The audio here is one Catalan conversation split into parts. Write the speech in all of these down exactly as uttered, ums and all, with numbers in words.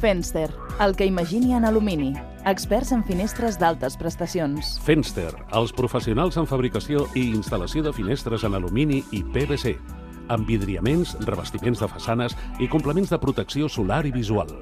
Fenster, el que imagini en alumini. Experts en finestres d'altes prestacions. Fenster, els professionals en fabricació i instal·lació de finestres en alumini i P V C, amb vidriaments, revestiments de façanes i complements de protecció solar i visual.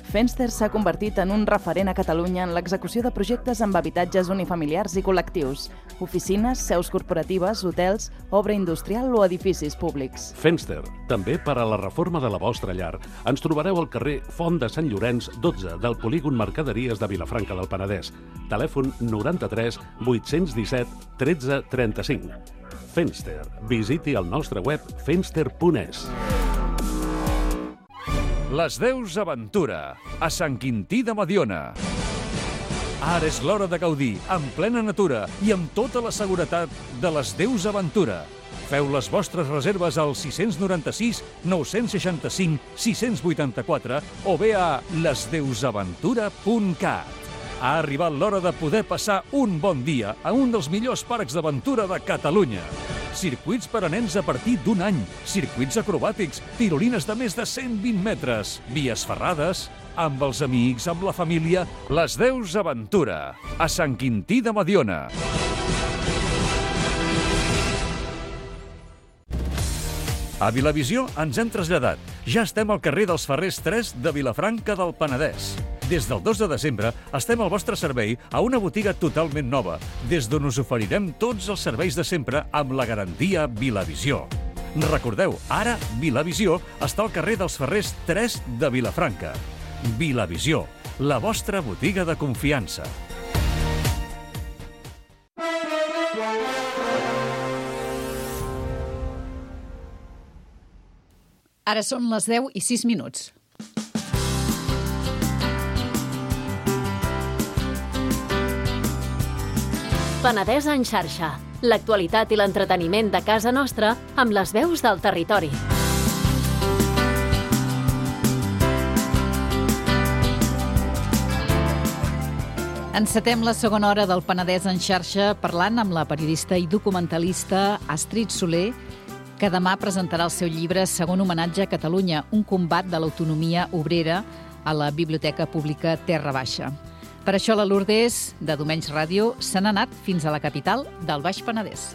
Fenster s'ha convertit en un referent a Catalunya en l'execució de projectes amb habitatges unifamiliars i col·lectius, oficines, seus corporatives, hotels, obra industrial o edificis públics. Fenster, també per a la reforma de la vostra llar. Ens trobareu al carrer Font de Sant Llorenç, dotze, del polígon Mercaderies de Vilafranca del Penedès. Telèfon noranta-tres vuit-cents disset tretze trenta-cinc. Fenster. Visiti el nostre web fenster punt es. Les Deus Aventura, a Sant Quintí de Mediona. Ara és l'hora de gaudir, en plena natura i amb tota la seguretat de les Deus Aventura. Feu les vostres reserves al sis nou sis, nou seixanta cinc, sis vuitanta-quatre o bé a les deus aventura punt cat. Ha arribat l'hora de poder passar un bon dia a un dels millors parcs d'aventura de Catalunya. Circuits per a nens a partir d'un any, circuits acrobàtics, tirolines de més de cent vint metres, vies ferrades, amb els amics, amb la família, les Deus Aventura, a Sant Quintí de Mediona. A Vilavisió ens hem traslladat. Ja estem al carrer dels Ferrers tres de Vilafranca del Penedès. Des del dos de desembre estem al vostre servei a una botiga totalment nova, des d'on us oferirem tots els serveis de sempre amb la garantia Vilavisió. Recordeu, ara Vilavisió està al carrer dels Ferrers tres de Vilafranca. Vilavisió, la vostra botiga de confiança. Ara són les deu i sis minuts. Penedès en xarxa. L'actualitat i l'entreteniment de casa nostra amb les veus del territori. Encetem la segona hora del Penedès en xarxa parlant amb la periodista i documentalista Astrid Soler, que demà presentarà el seu llibre Segon homenatge a Catalunya, un combat de l'autonomia obrera a la Biblioteca Pública Terra Baixa. Per això la Lourdes, de Domenys Ràdio, se n'ha anat fins a la capital del Baix Penedès.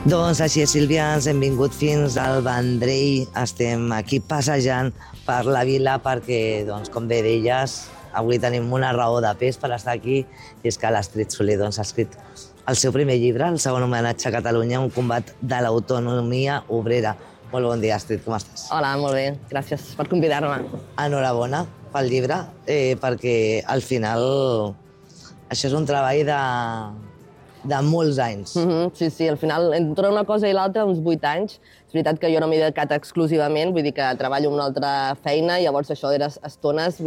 Doncs així és, Sílvia, ens hem vingut fins al Vendrell. Estem aquí passejant per la vila perquè, doncs, com bé deies, avui tenim una raó de pes per estar aquí, i és que l'Astrid Soler doncs, ha escrit el seu primer llibre, el segon homenatge a Catalunya, un combat de l'autonomia obrera. Molt bon dia, Astrid, com estàs? Hola, molt bé, gràcies per convidar-me. Enhorabona pel llibre, eh, perquè al final això és un treball de, de molts anys. Mm-hmm, sí, sí, al final, entre una cosa i l'altra, uns vuit anys. És veritat que jo no m'he dedicat exclusivament, vull dir que treballo en una altra feina, i llavors això eren estones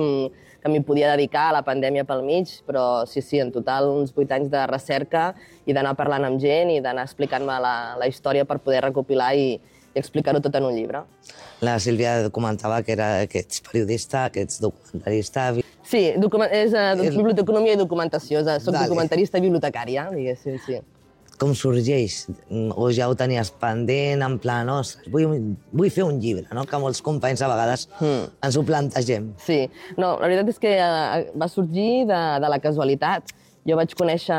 que m'hi podia dedicar a la pandèmia pel mig, però sí, sí, en total uns vuit anys de recerca i d'anar parlant amb gent i d'anar explicant-me la, la història per poder recopilar i, i explicar-ho tot en un llibre. La Sílvia comentava que, era, que ets periodista, que ets documentarista. Sí, document, és uh, biblioteconomia i documentació, soc Dale. documentarista i bibliotecària, diguéssim, sí. Com sorgeix? O ja ho tenies pendent, en plan, oh, vull, vull fer un llibre, no? Que molts companys a vegades mm. ens ho plantegem. Sí, no, la veritat és que uh, va sorgir de, de la casualitat. Jo vaig conèixer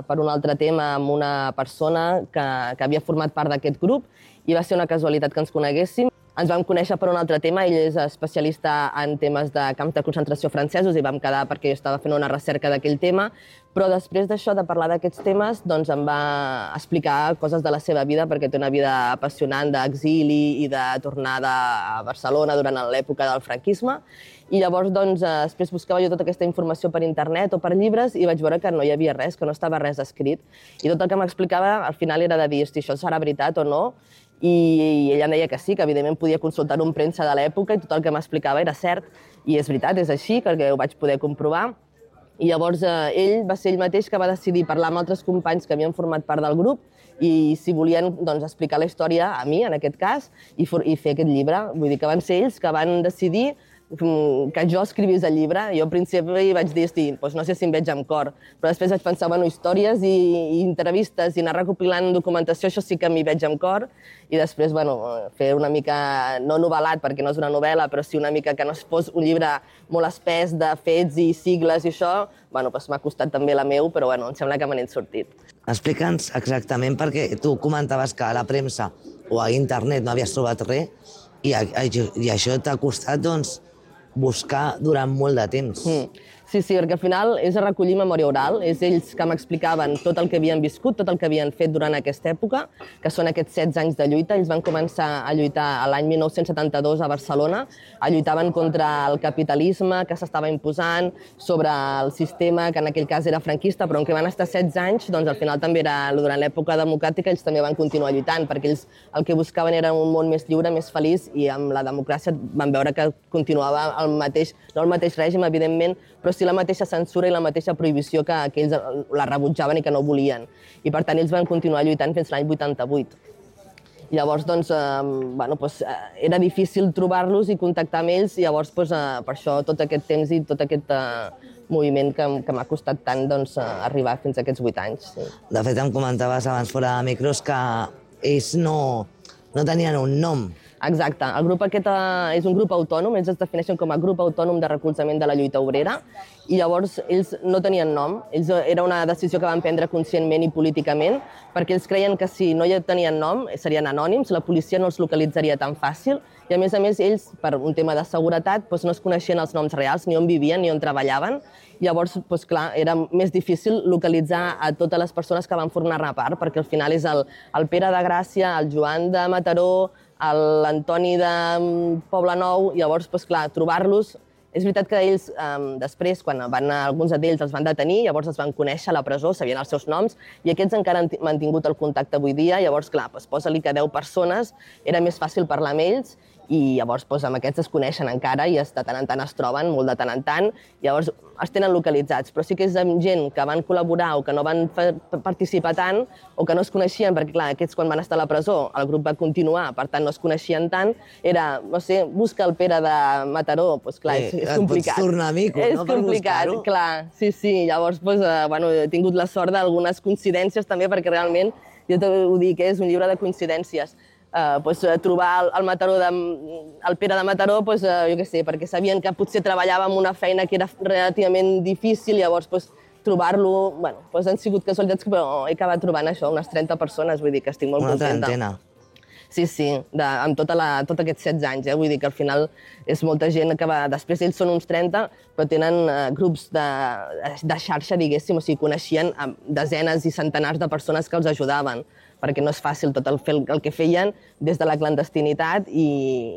per un altre tema amb una persona que, que havia format part d'aquest grup i va ser una casualitat que ens coneguéssim. Ens vam conèixer per un altre tema, ell és especialista en temes de camps de concentració francesos i vam quedar perquè jo estava fent una recerca d'aquell tema, però després d'això, de parlar d'aquests temes, doncs em va explicar coses de la seva vida, perquè té una vida apassionant d'exili i de tornada a Barcelona durant l'època del franquisme, i llavors doncs, després buscava jo tota aquesta informació per internet o per llibres i vaig veure que no hi havia res, que no estava res escrit, i tot el que m'explicava al final era de dir, hosti, això serà veritat o no? I ella em deia que sí, que evidentment podia consultar-ho en premsa de l'època i tot el que m'explicava era cert. I és veritat, és així, perquè ho vaig poder comprovar. I llavors eh, ell va ser ell mateix que va decidir parlar amb altres companys que havien format part del grup i si volien doncs, explicar la història a mi, en aquest cas, i, for, i fer aquest llibre. Vull dir que van ser ells que van decidir que jo escrivís el llibre. Jo al principi vaig dir, hosti, doncs no sé si em veig amb cor, però després vaig pensar, bueno, històries i, i entrevistes i anar recopilant documentació, això sí que m'hi veig amb cor, i després, bueno, fer una mica, no novel·lat, perquè no és una novel·la, però sí una mica que no es fos un llibre molt espès de fets i sigles i això, bueno, doncs m'ha costat també la meu, però bueno, em sembla que me n'he sortit. Explica'ns exactament, perquè tu comentaves que a la premsa o a internet no havies trobat res, i, i això t'ha costat, doncs, buscar durant molt de temps. Mm. Sí, sí, perquè al final és a recollir memòria oral, és ells que m'explicaven tot el que havien viscut, tot el que havien fet durant aquesta època, que són aquests setze anys de lluita. Ells van començar a lluitar l'any mil nou-cents setanta-dos a Barcelona, lluitaven contra el capitalisme que s'estava imposant, sobre el sistema, que en aquell cas era franquista, però en què van estar setze anys, doncs al final també era, durant l'època democràtica, ells també van continuar lluitant, perquè ells el que buscaven era un món més lliure, més feliç, i amb la democràcia van veure que continuava el mateix, no el mateix règim, evidentment, però sí la mateixa censura i la mateixa prohibició que, que ells la rebutjaven i que no volien. I per tant ells van continuar lluitant fins l'any vuitanta-vuit. Llavors, doncs, eh, bueno, doncs, eh, era difícil trobar-los i contactar amb ells, i llavors, doncs, eh, per això, tot aquest temps i tot aquest eh, moviment que, que m'ha costat tant, doncs, eh, arribar fins a aquests vuit anys. Sí. De fet, em comentaves abans fora de micros que ells no, no tenien un nom. Exacte. El grup aquest és un grup autònom, ells es defineixen com a grup autònom de recolzament de la lluita obrera, i llavors ells no tenien nom. Ells, era una decisió que van prendre conscientment i políticament, perquè ells creien que si no tenien nom serien anònims, la policia no els localitzaria tan fàcil, i a més a més ells, per un tema de seguretat, doncs no es coneixien els noms reals, ni on vivien, ni on treballaven. Llavors, doncs, clar, era més difícil localitzar a totes les persones que van formar-ne part, perquè al final és el, el Pere de Gràcia, el Joan de Mataró, l'Antoni de Poblenou. Llavors, doncs, clar, trobar-los... És veritat que ells, eh, després, quan van, alguns d'ells els van detenir, llavors els van conèixer a la presó, sabien els seus noms, i aquests encara han mantingut el contacte avui dia. Llavors, clar, doncs, posa-li que deu persones, era més fàcil parlar amb ells, i llavors doncs, amb aquests es coneixen encara i de tant en tant es troben, molt de tant en tant, llavors es tenen localitzats. Però sí que és amb gent que van col·laborar o que no van participar tant o que no es coneixien, perquè clar, aquests quan van estar a la presó el grup va continuar, per tant no es coneixien tant, era, no sé, busca el Pere de Mataró, doncs clar, és, és complicat. Et pots tornar mico, no?, per buscar-ho. És complicat, clar, sí, sí. Llavors, doncs, eh, bueno, he tingut la sort d'algunes coincidències també, perquè realment, jo ho dic, és un llibre de coincidències. Uh, pues, uh, trobar el, el, Mataró de, el Pere de Mataró, pues, uh, jo què sé, perquè sabien que potser treballava en una feina que era relativament difícil, llavors pues, trobar-lo, bueno, pues, han sigut casualitats, però he acabat trobant això, unes trenta persones, vull dir que estic molt una contenta. trentena. Sí, sí, de, amb tota la, tot aquests setze anys, eh? Vull dir que al final és molta gent que va... Després ells són uns trenta, però tenen uh, grups de, de xarxa, diguéssim, o sigui, coneixien uh, desenes i centenars de persones que els ajudaven, perquè no és fàcil tot el, el que feien des de la clandestinitat i,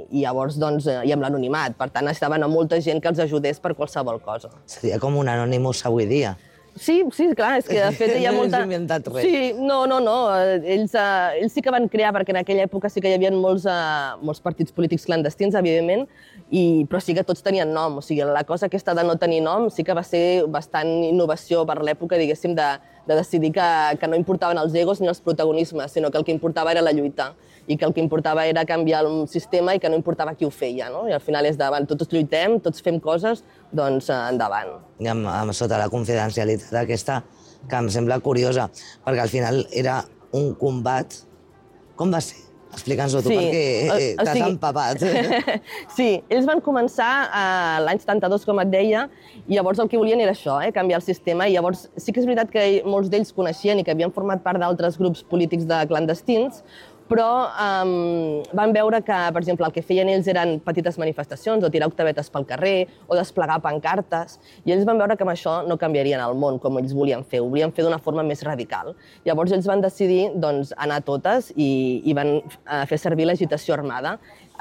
i llavors, doncs, i amb l'anonimat. Per tant, estaven a molta gent que els ajudés per qualsevol cosa. Seria com un Anonymous avui dia. Sí, sí, clar, és que de fet hi ha molta... No has inventat res. Sí, no, no, no. Ells, uh, ells sí que van crear, perquè en aquella època sí que hi havia molts, uh, molts partits polítics clandestins, evidentment, i, però sí que tots tenien nom. O sigui, la cosa aquesta de no tenir nom sí que va ser bastant innovació per l'època, diguéssim, de, de decidir que, que no importaven els egos ni els protagonismes, sinó que el que importava era la lluita i que el que importava era canviar el sistema i que no importava qui ho feia, no? I al final és davant, tots lluitem, tots fem coses, doncs endavant. I amb, amb sota la confidencialitat aquesta, que em sembla curiosa, perquè al final era un combat. Com va ser? Explica'ns-ho tu, sí, perquè eh, t'has sigui... empapat. Sí, ells van començar eh, l'any setanta-dos, com et deia, i llavors el que volien era això, eh, canviar el sistema, i llavors sí que és veritat que molts d'ells coneixien i que havien format part d'altres grups polítics de clandestins, però um, van veure que, per exemple, el que feien ells eren petites manifestacions o tirar octavetes pel carrer o desplegar pancartes, i ells van veure que amb això no canviarien el món com ells volien fer, ho volien fer d'una forma més radical. Llavors ells van decidir doncs, anar a totes i, i van uh, fer servir l'agitació armada.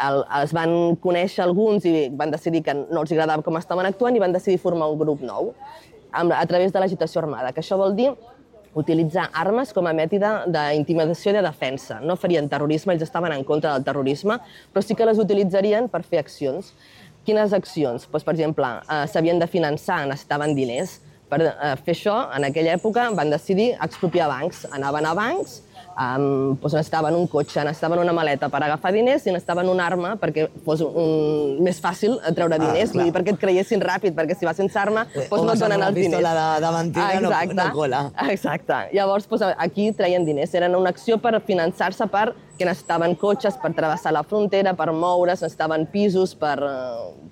El, els van conèixer alguns i van decidir que no els agradava com estaven actuant i van decidir formar un grup nou a, a través de l'agitació armada, que això vol dir utilitzar armes com a mètode d'intimidació i de defensa. No farien terrorisme, ells estaven en contra del terrorisme, però sí que les utilitzarien per fer accions. Quines accions? Doncs, per exemple, eh, s'havien de finançar, necessitaven diners. Per eh, fer això, en aquella època, van decidir expropiar bancs. Anaven a bancs, Um, doncs necessitaven un cotxe, necessitaven una maleta per agafar diners i necessitaven una arma perquè fos un, més fàcil treure diners, ah, vull dir, perquè et creiessin ràpid, perquè si vas sense arma doncs no et donen els diners. O una pistola davantera ah, no, no cola. Exacte. Llavors doncs, aquí treien diners. Era una acció per finançar-se per que necessitaven cotxes per travessar la frontera, per moure's, necessitaven pisos per,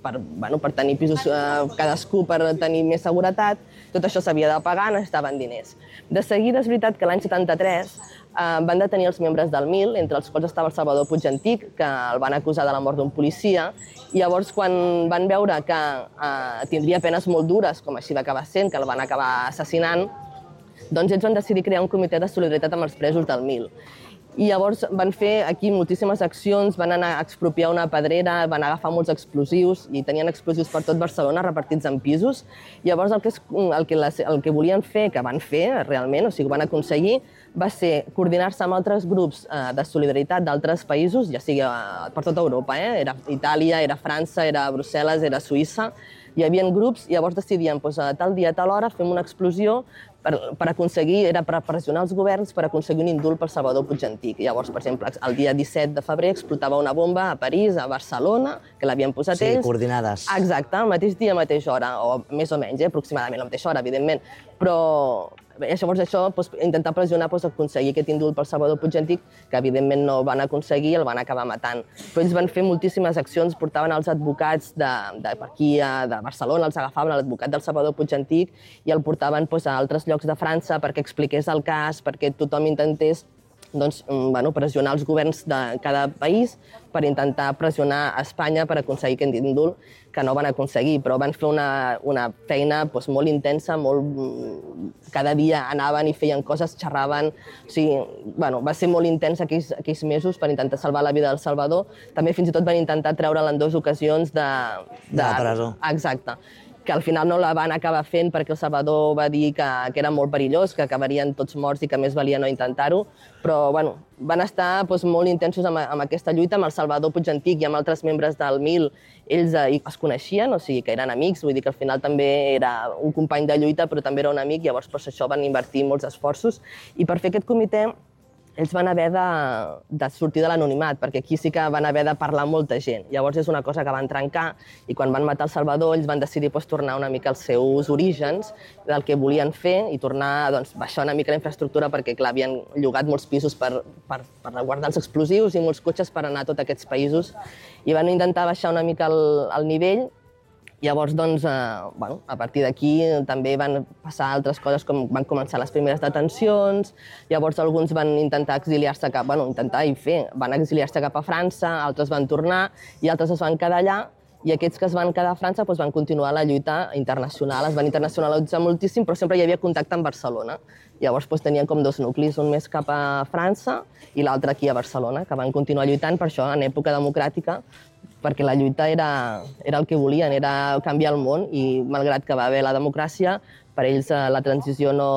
per, bueno, per tenir pisos eh, cadascú per tenir més seguretat. Tot això s'havia de pagar, necessitaven diners. De seguida és veritat que l'any setanta-tres eh, van detenir els membres del Mil, entre els quals estava el Salvador Puig Antic, que el van acusar de la mort d'un policia, i llavors quan van veure que eh, tindria penes molt dures, com així va acabar sent, que el van acabar assassinant, doncs ells van decidir crear un comitè de solidaritat amb els presos del Mil. I llavors van fer aquí moltíssimes accions, van anar a expropiar una pedrera, van agafar molts explosius i tenien explosius per tot Barcelona repartits en pisos. Llavors el que, és, el que, les, el que volien fer, que van fer realment, o sigui, ho van aconseguir, va ser coordinar-se amb altres grups eh, de solidaritat d'altres països, ja sigui eh, per tota Europa, eh? Era Itàlia, era França, era Brussel·les, era Suïssa. Hi havia grups i llavors decidien doncs, a tal dia, a tal hora, fem una explosió per, per aconseguir, era per pressionar els governs per aconseguir un indult pel Salvador Puig Antic. Llavors, per exemple, el dia disset de febrer explotava una bomba a París, a Barcelona, que l'havien posat sí, ells. Sí, coordinades. Exacte, al mateix dia, a la mateixa hora, o més o menys, eh, aproximadament a la mateixa hora, evidentment. Però llavors això, doncs, intentar pressionar, doncs, aconseguir aquest indult pel Salvador Puig Antic, que evidentment no van aconseguir i el van acabar matant. Però ells van fer moltíssimes accions, portaven els advocats de, de per aquí, de Barcelona, els agafaven l'advocat del Salvador Puig Antic i el portaven doncs, a altres llocs de França perquè expliqués el cas, perquè tothom intentés doncs, bueno, pressionar els governs de cada país per intentar pressionar a Espanya per aconseguir aquest indult, que no van aconseguir, però van fer una, una feina doncs, molt intensa, molt... cada dia anaven i feien coses, xerraven, o sigui, bueno, va ser molt intens aquells, aquells mesos per intentar salvar la vida del Salvador. També fins i tot van intentar treure'l en dues ocasions de... De, de la presó. Exacte. Que al final no la van acabar fent perquè el Salvador va dir que, que era molt perillós, que acabarien tots morts i que més valia no intentar-ho, però bueno, van estar doncs, molt intensos amb, amb aquesta lluita, amb el Salvador Puig Antic i amb altres membres del Mil. Ells eh, es coneixien, o sigui que eren amics, vull dir que al final també era un company de lluita, però també era un amic, llavors per això van invertir molts esforços. I per fer aquest comitè ells van haver de, de sortir de l'anonimat, perquè aquí sí que van haver de parlar molta gent. Llavors és una cosa que van trencar i quan van matar el Salvador ells van decidir doncs, tornar una mica als seus orígens del que volien fer i tornar doncs, baixar una mica la infraestructura perquè clar, havien llogat molts pisos per, per, per guardar els explosius i molts cotxes per anar a tots aquests països i van intentar baixar una mica el, el nivell. Llavors, doncs, eh, bueno, a partir d'aquí també van passar altres coses, com van començar les primeres detencions, llavors alguns van intentar exiliar-se cap, bueno, intentar i fer, van exiliar-se cap a França, altres van tornar i altres es van quedar allà, i aquests que es van quedar a França doncs, van continuar la lluita internacional, es van internacionalitzar moltíssim, però sempre hi havia contacte amb Barcelona. Llavors doncs, tenien com dos nuclis, un més cap a França i l'altre aquí a Barcelona, que van continuar lluitant per això en època democràtica, perquè la lluita era, era el que volien, era canviar el món, i malgrat que va haver la democràcia, per ells la transició no,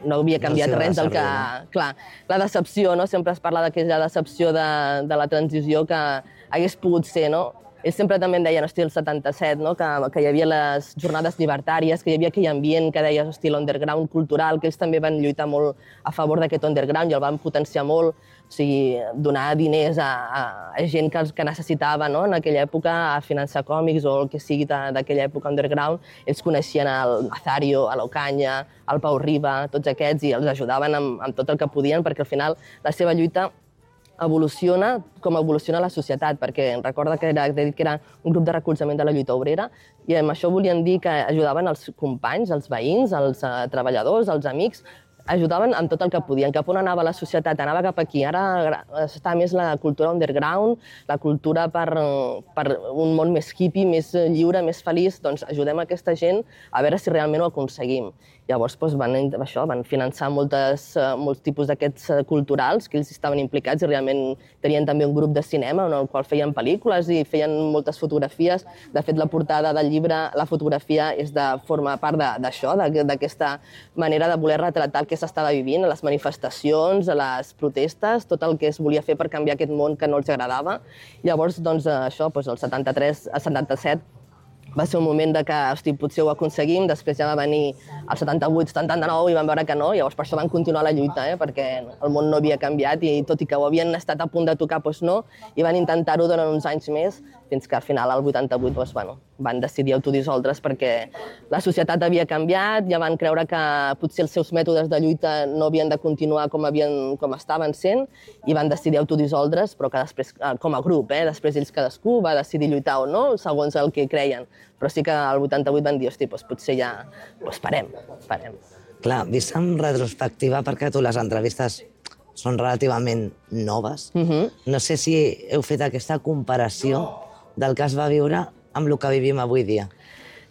no havia canviat no res del que... Clar, la decepció, no? Sempre es parla d'aquella decepció de, de la transició que hagués pogut ser, no? Ells sempre també em deien, hosti, el setanta-set, no? que, que hi havia les jornades llibertàries, que hi havia aquell ambient que deies, hosti, l'underground cultural, que ells també van lluitar molt a favor d'aquest underground i el van potenciar molt, o sigui, donar diners a, a, a gent que, que necessitava, no? En aquella època, a finançar còmics o el que sigui d'aquella època underground. Ells coneixien el Nazario, a l'Ocaña, el Pau Riba, tots aquests, i els ajudaven amb, amb tot el que podien, perquè al final la seva lluita evoluciona com evoluciona la societat, perquè recorda que era, que era un grup de recolzament de la lluita obrera i amb això volien dir que ajudaven els companys, els veïns, els uh, treballadors, els amics, ajudaven amb tot el que podien. Cap on anava la societat? Anava cap aquí. Ara està més la cultura underground, la cultura per, per un món més hippie, més lliure, més feliç. Doncs ajudem aquesta gent a veure si realment ho aconseguim. Llavors doncs, van, això, van finançar moltes, molts tipus d'aquests culturals que ells estaven implicats i realment tenien també un grup de cinema en el qual feien pel·lícules i feien moltes fotografies. De fet, la portada del llibre, la fotografia és de forma part d'això, d'aquesta manera de voler retratar el que s'estava vivint, a les manifestacions, a les protestes, tot el que es volia fer per canviar aquest món que no els agradava. Llavors, doncs, això, doncs, el setanta-tres, el setanta-set, va ser un moment de que, hosti, potser ho aconseguim, després ja va venir el setanta-vuit setanta-nou i van veure que no, llavors per això van continuar la lluita, eh? Perquè el món no havia canviat i tot i que ho havien estat a punt de tocar, doncs no, i van intentar-ho durant uns anys més, fins que al final, al vuitanta-vuit, doncs, bueno, van decidir autodissoldre's perquè la societat havia canviat, ja van creure que potser els seus mètodes de lluita no havien de continuar com, havien, com estaven sent i van decidir autodissoldre's, però que després, com a grup, eh? Després ells cadascú va decidir lluitar o no, segons el que creien. Però sí que al vuitanta-vuit van dir, hosti, doncs potser ja doncs parem, parem. Clar, vist en retrospectiva, perquè tu les entrevistes són relativament noves, Uh-huh. no sé si heu fet aquesta comparació del que es va viure amb el que vivim avui dia.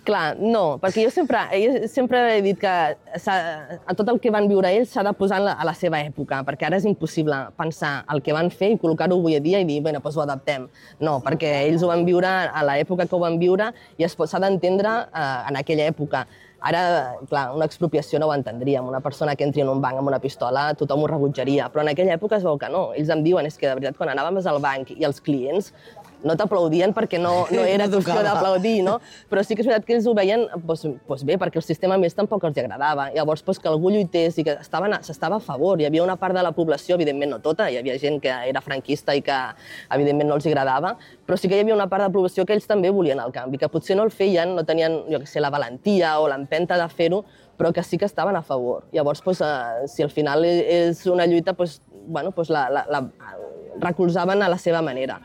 Clar, no, perquè jo sempre, jo sempre he dit que a tot el que van viure ells s'ha de posar a la, a la seva època, perquè ara és impossible pensar el que van fer i col·locar-ho avui dia i dir, bé, doncs ho adaptem. No, perquè ells ho van viure a l'època que ho van viure i s'ha d'entendre eh, en aquella època. Ara, clar, una expropiació no ho entendríem. Una persona que entri en un banc amb una pistola, tothom ho rebutjaria. Però en aquella època es veu que no. Ells em diuen, és que de veritat, quan anàvem al banc i els clients no t'aplaudien perquè no, no era qüestió d'aplaudir, no? Però sí que és veritat que ells ho veien doncs, doncs bé, perquè el sistema més tampoc els agradava. Llavors, doncs, que algú lluités i que s'estava a favor. Hi havia una part de la població, evidentment no tota, hi havia gent que era franquista i que evidentment no els agradava, però sí que hi havia una part de la població que ells també volien el canvi, que potser no el feien, no tenien, jo què sé, la valentia o l'empenta de fer-ho, però que sí que estaven a favor. Llavors, doncs, eh, si al final és una lluita, doncs, bueno, doncs la, la, la recolzaven a la seva manera.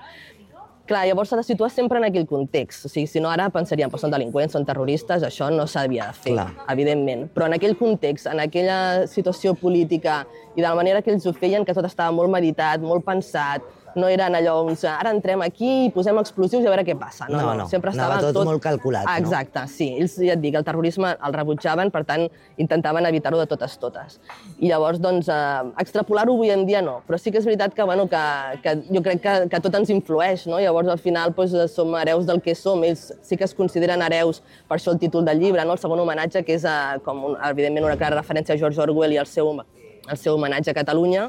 Clar, llavors s'ha de situar sempre en aquell context. O sigui, si no ara pensaríem, doncs són delinqüents, són terroristes, això no s'havia de fer, Clar. evidentment. Però en aquell context, en aquella situació política i de la manera que ells ho feien, que tot estava molt meditat, molt pensat, no eren allò, doncs, ara entrem aquí i posem explosius i a veure què passa. No, No, no, no, sempre anava estava tot molt calculat, no? Exacte, sí. Ells, ja et dic, el terrorisme el rebutjaven, per tant, intentaven evitar-ho de totes totes. I llavors, doncs, eh, extrapolar-ho avui en dia no, però sí que és veritat que, bueno, que, que jo crec que, que tot ens influeix, no? Llavors, al final, doncs, som hereus del que som. Ells sí que es consideren hereus, per això el títol del llibre, no? El segon homenatge, que és, eh, com, un, evidentment, una clara referència a George Orwell i al seu, el seu homenatge a Catalunya,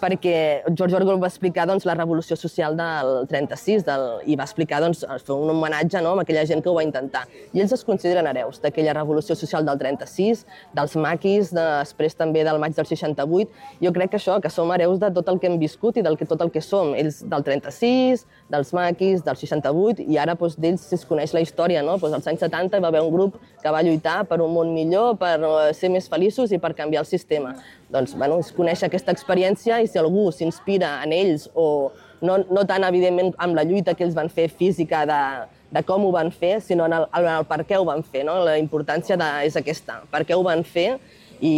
perquè George Orwell va explicar doncs, la revolució social del trenta-sis del, i va explicar, doncs, fer un homenatge, no?, a aquella gent que ho va intentar. I ells es consideren hereus d'aquella revolució social del trenta-sis, dels maquis, després també del maig del seixanta-vuit. Jo crec que això, que som hereus de tot el que hem viscut i del que, tot el que som. Ells del trenta-sis, dels maquis, del seixanta-vuit, i ara doncs, d'ells si es coneix la història, no? Doncs, als anys setanta hi va haver un grup que va lluitar per un món millor, per ser més feliços i per canviar el sistema. Doncs, bueno, es coneix aquesta experiència i si algú s'inspira en ells o no, no tant, evidentment, amb la lluita que ells van fer física de, de com ho van fer, sinó en el, en el per què ho van fer, no? La importància de, és aquesta, per què ho van fer i,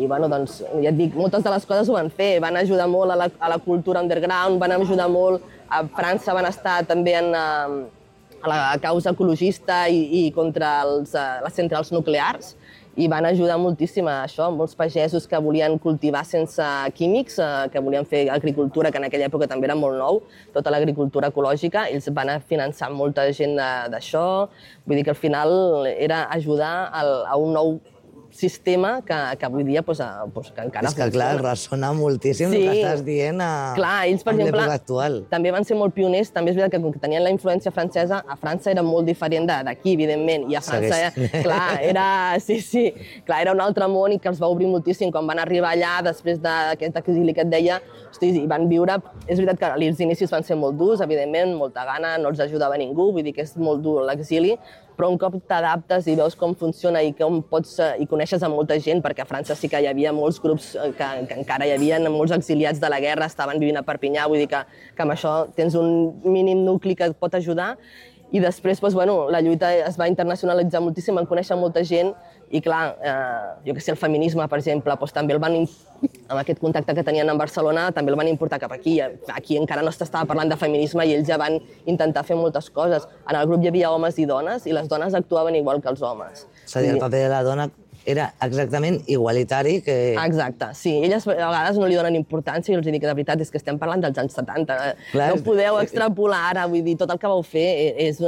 i bueno, doncs, ja et dic, moltes de les coses ho van fer, van ajudar molt a la, a la cultura underground, van ajudar molt, a França van estar també en, a la causa ecologista i, i contra els, les centrals nuclears, i van ajudar moltíssim a això, molts pagesos que volien cultivar sense químics, que volien fer agricultura, que en aquella època també era molt nou, tota l'agricultura ecològica, ells van finançar molta gent d'això, vull dir que al final era ajudar a un nou sistema que, que avui dia pues, pues, que encara és que, clar, ressona moltíssim sí. el que estàs dient a, clar, ells, per exemple, l'època actual. També van ser molt pioners, també és veritat que com que tenien la influència francesa, a França era molt diferent d'aquí, evidentment, i a França, Segueix. clar, era, sí, sí, clar, era un altre món i que els va obrir moltíssim. Quan van arribar allà, després d'aquest exili que et deia, hosti, i van viure, és veritat que els inicis van ser molt durs, evidentment, molta gana, no els ajudava ningú, vull dir que és molt dur l'exili, però un cop t'adaptes i veus com funciona i com pots, i coneixes a molta gent, perquè a França sí que hi havia molts grups que, que encara hi havia, molts exiliats de la guerra, estaven vivint a Perpinyà, vull dir que, que amb això tens un mínim nucli que et pot ajudar. I després, doncs, bueno, la lluita es va internacionalitzar moltíssim, van conèixer molta gent i, clar, eh, jo que sé, el feminisme, per exemple, doncs, també el van, amb aquest contacte que tenien en Barcelona, també el van importar cap aquí. Aquí encara no s'estava parlant de feminisme i ells ja van intentar fer moltes coses. En el grup hi havia homes i dones i les dones actuaven igual que els homes. És a dir, el paper de la dona era exactament igualitari que... Exacte, sí. Elles a vegades no li donen importància i els dic que de veritat és que estem parlant dels anys setanta. Clar, no podeu extrapolar ara, vull dir, tot el que vau fer és...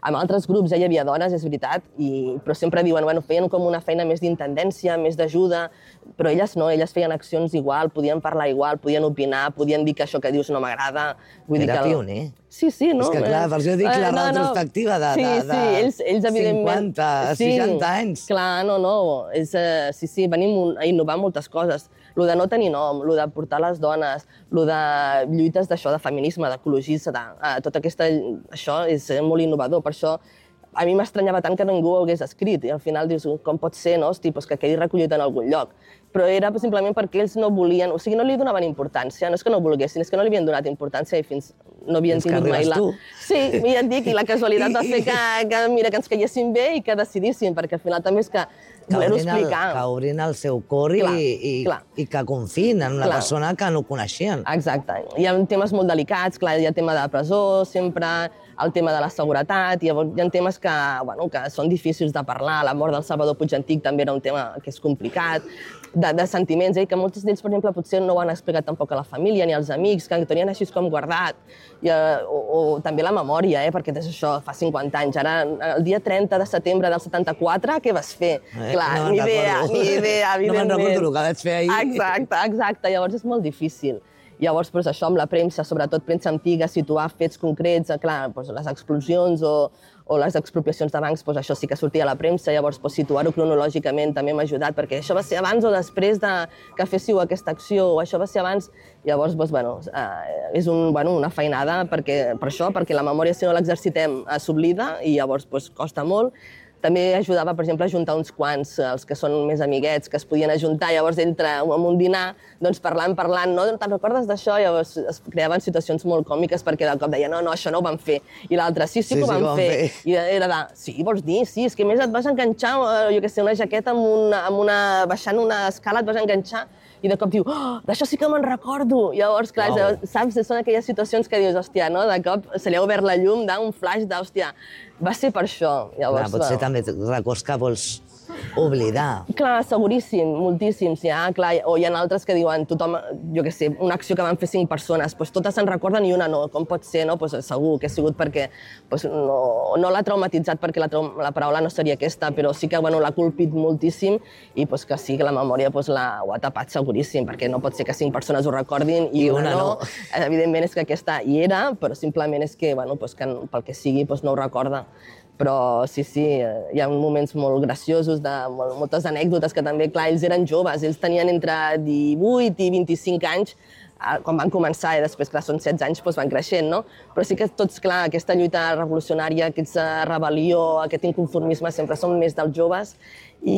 Amb altres grups ja hi havia dones, és veritat, i... però sempre diuen, bueno, feien com una feina més d'intendència, més d'ajuda, però elles no, elles feien accions igual, podien parlar igual, podien opinar, podien dir que això que dius no m'agrada. Era pioner. Sí, sí, no? És que clar, per això dic la no, retrospectiva de, sí, de, de sí, ells, ells, cinquanta, seixanta anys. Clar, no, no, és, sí, sí, venim a innovar moltes coses. Lo de no tenir nom, lo de portar les dones, lo de lluites d'això, de feminisme, d'ecologisme, tot aquesta, això és molt innovador, per això a mi m'estranyava tant que ningú ho hagués escrit i al final dius, com pot ser, no? Hosti, doncs que quedi recollit en algun lloc. Però era simplement perquè ells no volien, o sigui, no li donaven importància, no és que no volguessin, és que no li havien donat importància i fins no havien tingut mai la... Sí, ja et dic, i la casualitat va fer que, que, mira, que ens caiguessin bé i que decidíssim, perquè al final també és que voler-ho explicar. Que obrin el seu cor i, i, i que confiïn en una persona que no coneixien. Exacte. Hi ha temes molt delicats, clar, hi ha tema de presó, sempre el tema de la seguretat, llavors hi ha temes que, bueno, que són difícils de parlar. La mort del Salvador Puig Antic també era un tema que és complicat, de, de sentiments, eh, que molts d'ells, per exemple, potser no ho han explicat tampoc a la família ni als amics, que ho tenien així com guardat, i, eh, o, o també la memòria, eh, perquè és això, fa cinquanta anys. Ara, el dia trenta de setembre del setanta-quatre, què vas fer? Eh, Clar, no ni idea, ni idea, evidentment. No me'n recordo el que vaig fer ahir. Exacte, exacte, llavors és molt difícil. Llavors, doncs, això amb la premsa, sobretot premsa antiga, situar fets concrets, clar, doncs, les explosions o, o les expropiacions de bancs, doncs, això sí que sortia a la premsa, llavors doncs, situar-ho cronològicament també m'ha ajudat, perquè això va ser abans o després de que féssiu aquesta acció, o això va ser abans, llavors, doncs, bueno, eh, és un, bueno, una feinada perquè, per això, perquè la memòria, si no l'exercitem, s'oblida i llavors doncs, costa molt. També ajudava, per exemple, a juntar uns quants, els que són més amiguets, que es podien ajuntar, llavors entre en un dinar, doncs parlant, parlant, no? Te'n recordes d'això? Llavors es creaven situacions molt còmiques perquè de cop deia, no, no, això no ho van fer. I l'altre, sí, sí que ho van fer. I era de, sí, vols dir? Sí, és que a més et vas enganxar, jo què sé, una jaqueta amb una, amb una, baixant una escala et vas enganxar i de cop diu, oh, d'això sí que me'n recordo. Llavors, clar, wow. Saps, són aquelles situacions que dius, hòstia, no? De cop se li ha obert la llum d'un flash d'hòstia, va ser per això. Llavors, clar, potser bueno. També records que vols oblidar. Clar, seguríssim, moltíssims. Ja, clar, o hi ha altres que diuen, tothom, jo què sé, una acció que van fer cinc persones, doncs totes se'n recorden i una no. Com pot ser, no? Pues segur que ha sigut perquè pues, no, no l'ha traumatitzat perquè la, la paraula no seria aquesta, però sí que bueno, l'ha colpit moltíssim i pues, que sí que la memòria pues, la, ho ha tapat seguríssim, perquè no pot ser que cinc persones ho recordin i, I una, una no. no. Evidentment és que aquesta hi era, però simplement és que, bueno, pues, que pel que sigui pues, no ho recorda. Però sí, sí, hi ha moments molt graciosos, de moltes anècdotes que també, clar, ells eren joves, ells tenien entre divuit i vint-i-cinc anys quan van començar i després, clar, són setze anys, doncs van creixent, no? Però sí que tots, clar, aquesta lluita revolucionària, aquesta rebel·lió, aquest inconformisme sempre són més dels joves i,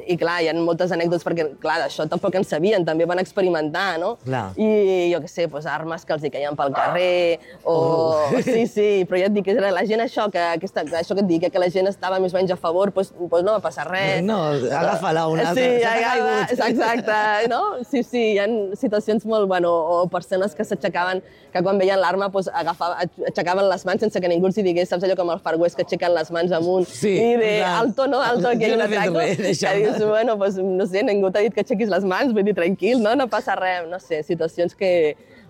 i clar, hi ha moltes anècdotes perquè, clar, d'això tampoc en sabien, també van experimentar, no? Clar. I jo què sé, doncs, armes que els hi caien pel carrer, o... Oh. Sí, sí, però ja et dic que la gent això, que, aquesta, això que et dic, que la gent estava més o menys a favor, doncs, doncs no va passar res. No, agafa-la una, sí, s'ha caigut. Exacte, no? Sí, sí, hi ha situacions molt, bueno, o persones que s'aixecaven, que quan veien l'arma doncs, aixecaven les mans sense que ningú els hi digués, saps allò com el Far West que aixequen les mans amunt sí, i de alto, no, alto, que hi ha un atraco, res, que dius, bueno, pues, no sé, ningú t'ha dit que aixequis les mans, vull dir, tranquil, no, no passa res, no sé, situacions que...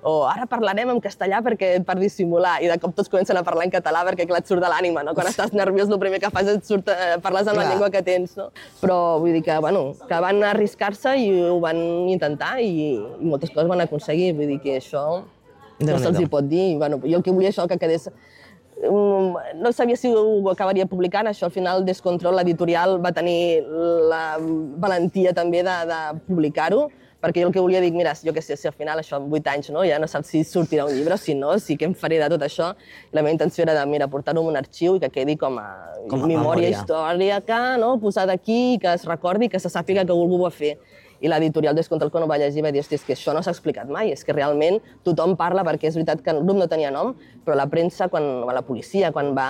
O ara parlarem en castellà perquè per dissimular, i de cop tots comencen a parlar en català perquè, clar, et surt de l'ànima, no? Quan estàs nerviós, el primer que fas és surt, eh, parles amb clar. La llengua que tens, no? Però vull dir que, bueno, que van arriscar-se i ho van intentar i, i moltes coses van aconseguir, vull dir que això no se'ls hi pot dir. Bueno, jo el que volia això que quedés... No sabia si ho acabaria publicant, això al final Descontrol, l'editorial, va tenir la valentia també de, de publicar-ho, perquè jo el que volia dir, mira, jo què sé, si al final això en vuit anys, no, ja no saps si sortirà un llibre o si no, sí que em faré de tot això. La meva intenció era de, mira, portar-ho en un arxiu i que quedi com a, com a memòria històrica, no, posat aquí, que es recordi, que se sàpiga que algú ho va fer. I l'editorial Descontrol, quan ho va llegir, va dir, hosti, és que això no s'ha explicat mai, és que realment tothom parla, perquè és veritat que el grup no tenia nom, però la premsa, quan, la policia, quan va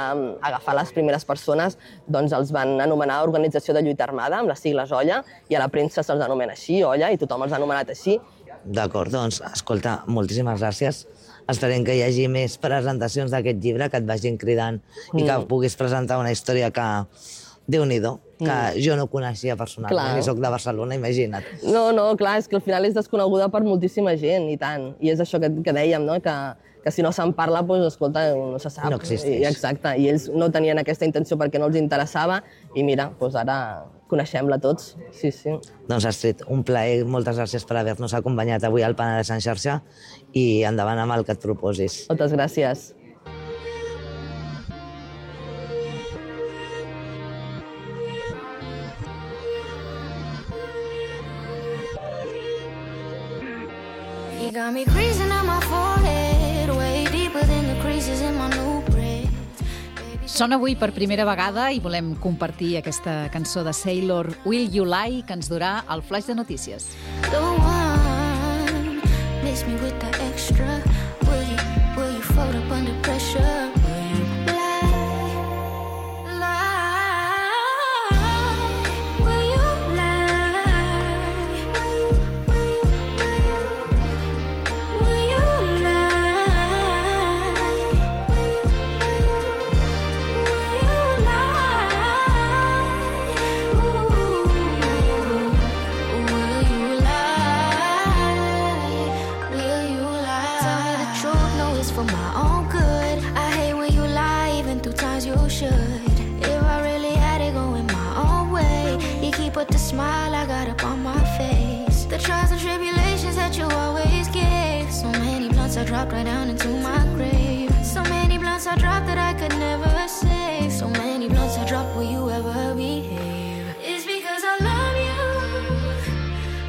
agafar les primeres persones, doncs els van anomenar Organització de Lluita Armada, amb les sigles O L L A, i a la premsa se'ls anomena així, O L L A, i tothom els ha anomenat així. D'acord, doncs, escolta, moltíssimes gràcies. Esperem que hi hagi més presentacions d'aquest llibre, que et vagin cridant mm. i que puguis presentar una història que Déu-n'hi-do, que jo no coneixia personalment, i soc de Barcelona, imagina't. No, no, clar, és que al final és desconeguda per moltíssima gent, i tant. I és això que, que dèiem, no? que, que si no se'n parla, doncs, escolta, no se sap. No existeix. I, exacte, i ells no tenien aquesta intenció perquè no els interessava, i mira, doncs ara coneixem-la tots. Sí, sí. Doncs Astrid, un plaer, moltes gràcies per haver-nos acompanyat avui al Penedès en xarxa, i endavant amb el que et proposis. Moltes gràcies. Got me creasing on my forehead, way deeper than the creases in my new braids. Sona avui per primera vegada i volem compartir aquesta cançó de Sailor, Will You Lie, que ens durà el flash de notícies. The one miss me with the extra. Will you, will you fold up under pressure? Will you lie, lie? Will you lie? Will you lie? Will you lie? Ooh, will you lie? Will you lie? Tell me the truth, no, it's for my own good. I hate when you lie, even through times you should. If I really had it going my own way, you keep up the smile I got up on my face. The trials and tribulations that you always give. So many blunts I dropped right down into my grave. So many blunts I dropped that I could never save. So many blunts I dropped, will you ever behave? It's because I love you.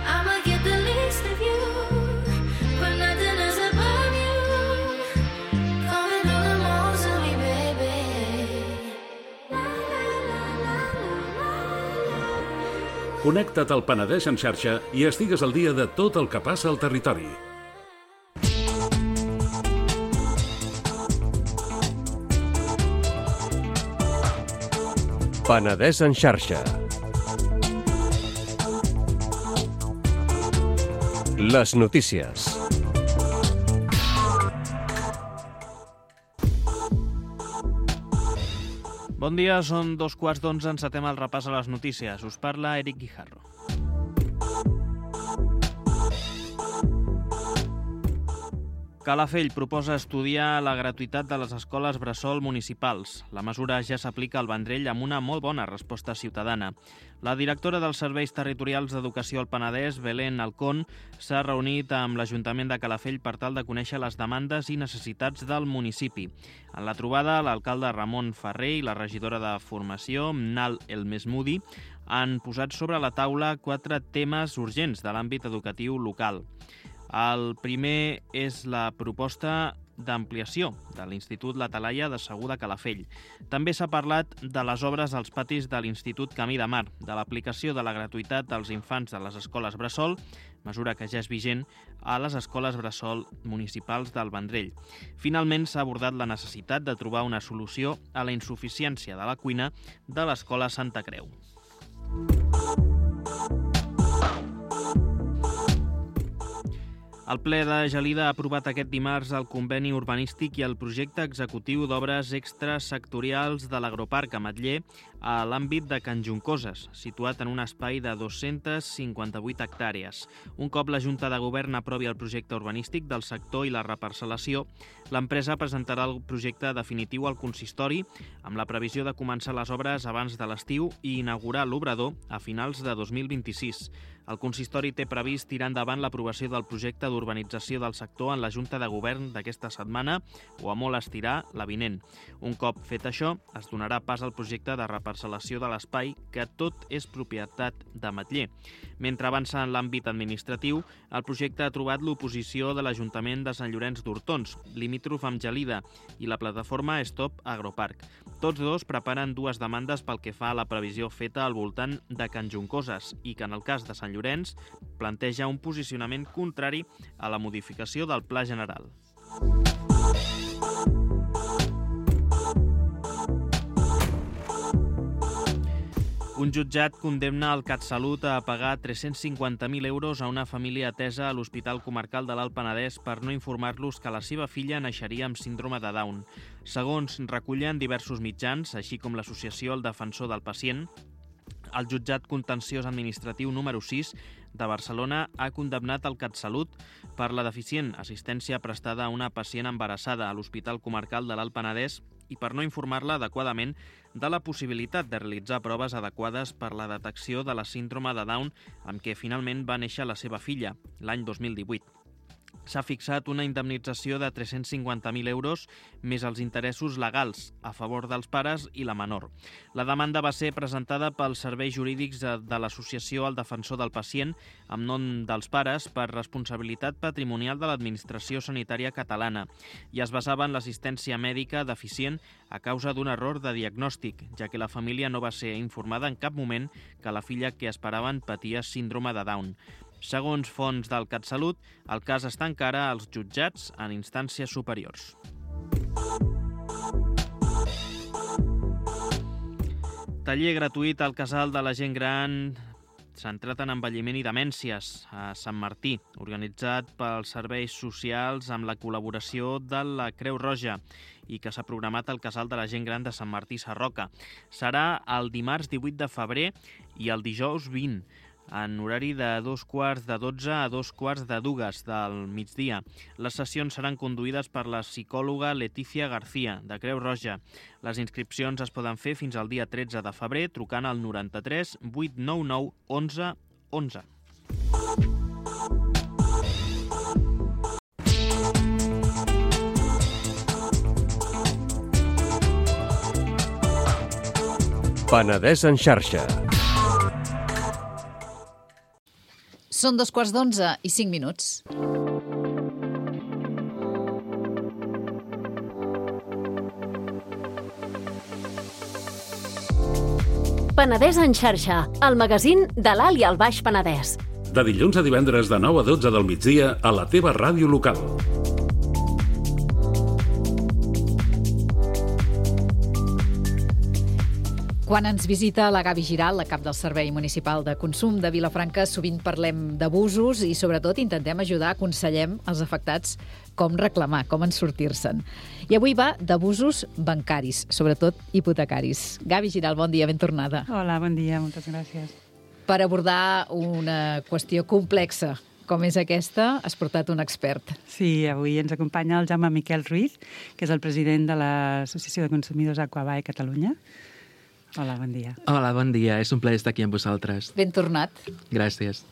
I'ma get the least of you. But nothing else above you. Come and do the most of me, baby. La, la, la, la, la, la. Connecta't al Penedès en xarxa i estigues al dia de tot el que passa al territori. Penedès en xarxa. Les notícies. Bon dia, són dos quarts d'onze, encetem el repàs a les notícies. Us parla Eric Guijarro. Calafell proposa estudiar la gratuïtat de les escoles bressol municipals. La mesura ja s'aplica al Vendrell amb una molt bona resposta ciutadana. La directora dels Serveis Territorials d'Educació al Penedès, Belén Alcón, s'ha reunit amb l'Ajuntament de Calafell per tal de conèixer les demandes i necessitats del municipi. En la trobada, l'alcalde Ramon Ferrer i la regidora de Formació, Mnal El Mesmoudi, han posat sobre la taula quatre temes urgents de l'àmbit educatiu local. El primer és la proposta d'ampliació de l'Institut La Talaia de Segur de Calafell. També s'ha parlat de les obres als patis de l'Institut Camí de Mar, de l'aplicació de la gratuïtat dels infants de les escoles bressol, mesura que ja és vigent a les escoles bressol municipals del Vendrell. Finalment, s'ha abordat la necessitat de trobar una solució a la insuficiència de la cuina de l'Escola Santa Creu. El ple de Gelida ha aprovat aquest dimarts el conveni urbanístic i el projecte executiu d'obres extrasectorials de l'Agroparc a Matller a l'àmbit de Can Juncoses, situat en un espai de dos-centes cinquanta-vuit hectàrees. Un cop la Junta de Govern aprovi el projecte urbanístic del sector i la reparcel·lació, l'empresa presentarà el projecte definitiu al consistori amb la previsió de començar les obres abans de l'estiu i inaugurar l'obrador a finals de dos mil vint-i-sis. El consistori té previst tirar endavant l'aprovació del projecte d'urbanització del sector en la Junta de Govern d'aquesta setmana o a molt estirar la vinent. Un cop fet això, es donarà pas al projecte de reparcel·lació de l'espai, que tot és propietat de Matller. Mentre avança en l'àmbit administratiu, el projecte ha trobat l'oposició de l'Ajuntament de Sant Llorenç d'Hortons, limítrof amb Gelida, i la plataforma Stop Agroparc. Tots dos preparen dues demandes pel que fa a la previsió feta al voltant de Can Juncoses i que, en el cas de Sant Llorenç, planteja un posicionament contrari a la modificació del Pla General. Un jutjat condemna el CatSalut a pagar tres-cents cinquanta mil euros a una família atesa a l'Hospital Comarcal de l'Alt Penedès per no informar-los que la seva filla naixeria amb síndrome de Down. Segons recullen diversos mitjans, així com l'associació El Defensor del Pacient, el jutjat contenciós administratiu número sis de Barcelona ha condemnat el CatSalut per la deficient assistència prestada a una pacient embarassada a l'Hospital Comarcal de l'Alt Penedès i per no informar-la adequadament de la possibilitat de realitzar proves adequades per la detecció de la síndrome de Down amb què finalment va néixer la seva filla, l'any dos mil divuit. S'ha fixat una indemnització de tres-cents cinquanta mil euros més els interessos legals a favor dels pares i la menor. La demanda va ser presentada pels serveis jurídics de l'associació El Defensor del Pacient amb nom dels pares per responsabilitat patrimonial de l'administració sanitària catalana i es basava en l'assistència mèdica deficient a causa d'un error de diagnòstic, ja que la família no va ser informada en cap moment que la filla que esperaven patia síndrome de Down. Segons fonts del CatSalut, el cas està encara als jutjats en instàncies superiors. Taller gratuït al Casal de la Gent Gran centrat en envelliment i demències a Sant Martí, organitzat pels serveis socials amb la col·laboració de la Creu Roja i que s'ha programat al Casal de la Gent Gran de Sant Martí Sarroca. Serà el dimarts divuit de febrer i el dijous vint, en horari de dos quarts de dotze a dos quarts de dues del migdia. Les sessions seran conduïdes per la psicòloga Letícia García, de Creu Roja. Les inscripcions es poden fer fins al dia tretze de febrer trucant al noranta-tres vuit nou nou onze onze. Penedès en xarxa. Són dos quarts d'onze i cinc minuts. Penedès en xarxa, el magazín de l'Alt i el Baix Penedès. De dilluns a divendres de nou a dotze del migdia a la teva ràdio local. Quan ens visita la Gavi Giral, la cap del Servei Municipal de Consum de Vilafranca, sovint parlem d'abusos i, sobretot, intentem ajudar, aconsellem els afectats com reclamar, com en sortir-se'n. I avui va d'abusos bancaris, sobretot hipotecaris. Gavi Giral, bon dia, ben tornada. Hola, bon dia, moltes gràcies. Per abordar una qüestió complexa com és aquesta, has portat un expert. Sí, avui ens acompanya el Jaume Miquel Ruiz, que és el president de l'Associació de Consumidors Aquabae Catalunya. Hola, bon dia. Hola, bon dia. És un plaer estar aquí amb vosaltres. Ben tornat. Gràcies.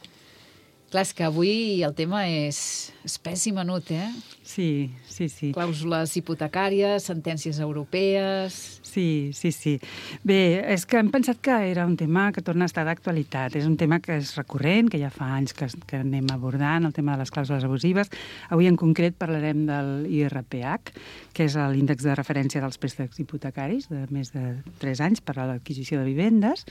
Clar, és que avui el tema és espès i menut, eh? Sí, sí, sí. Clàusules hipotecàries, sentències europees... Sí, sí, sí. Bé, és que hem pensat que era un tema que torna a estar d'actualitat. És un tema que és recurrent, que ja fa anys que, que anem abordant, el tema de les clàusules abusives. Avui en concret parlarem del I R P H, que és l'índex de referència dels préstecs hipotecaris de més de tres anys per a l'adquisició de vivendes,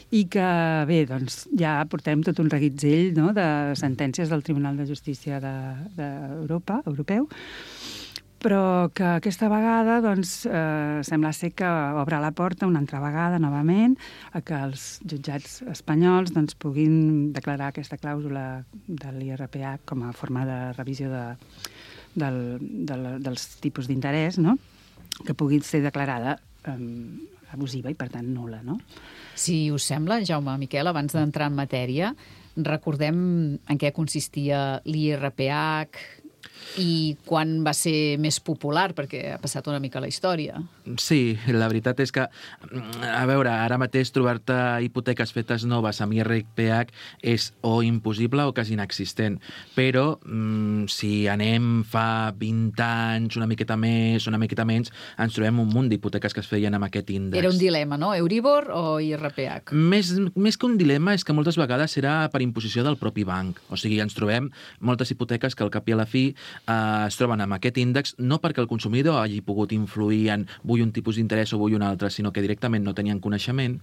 i que, bé, doncs ja portem tot un reguitzell, no?, de sentències del Tribunal de Justícia d'Europa, de, europeu, però que aquesta vegada doncs, eh, sembla ser que obre la porta una altra vegada, novament, a que els jutjats espanyols doncs, puguin declarar aquesta clàusula de l'I R P H com a forma de revisió de, del, de, dels tipus d'interès, no?, que pugui ser declarada eh, abusiva i, per tant, nul·la, no? Si us sembla, Jaume Miquel, abans d'entrar en matèria, recordem en què consistia l'I R P H i quan va ser més popular, perquè ha passat una mica la història. Sí, la veritat és que, a veure, ara mateix trobar-te hipoteques fetes noves amb I R P H és o impossible o quasi inexistent. Però mm, si anem fa vint anys, una miqueta més, una miqueta menys, ens trobem un munt d'hipoteques que es feien amb aquest índex. Era un dilema, no? Euribor o I R P H? Més, més que un dilema és que moltes vegades era per imposició del propi banc. O sigui, ens trobem moltes hipoteques que al cap i a la fi eh, es troben amb aquest índex no perquè el consumidor hagi pogut influir en vull un tipus d'interès o vull un altre, sinó que directament no tenien coneixement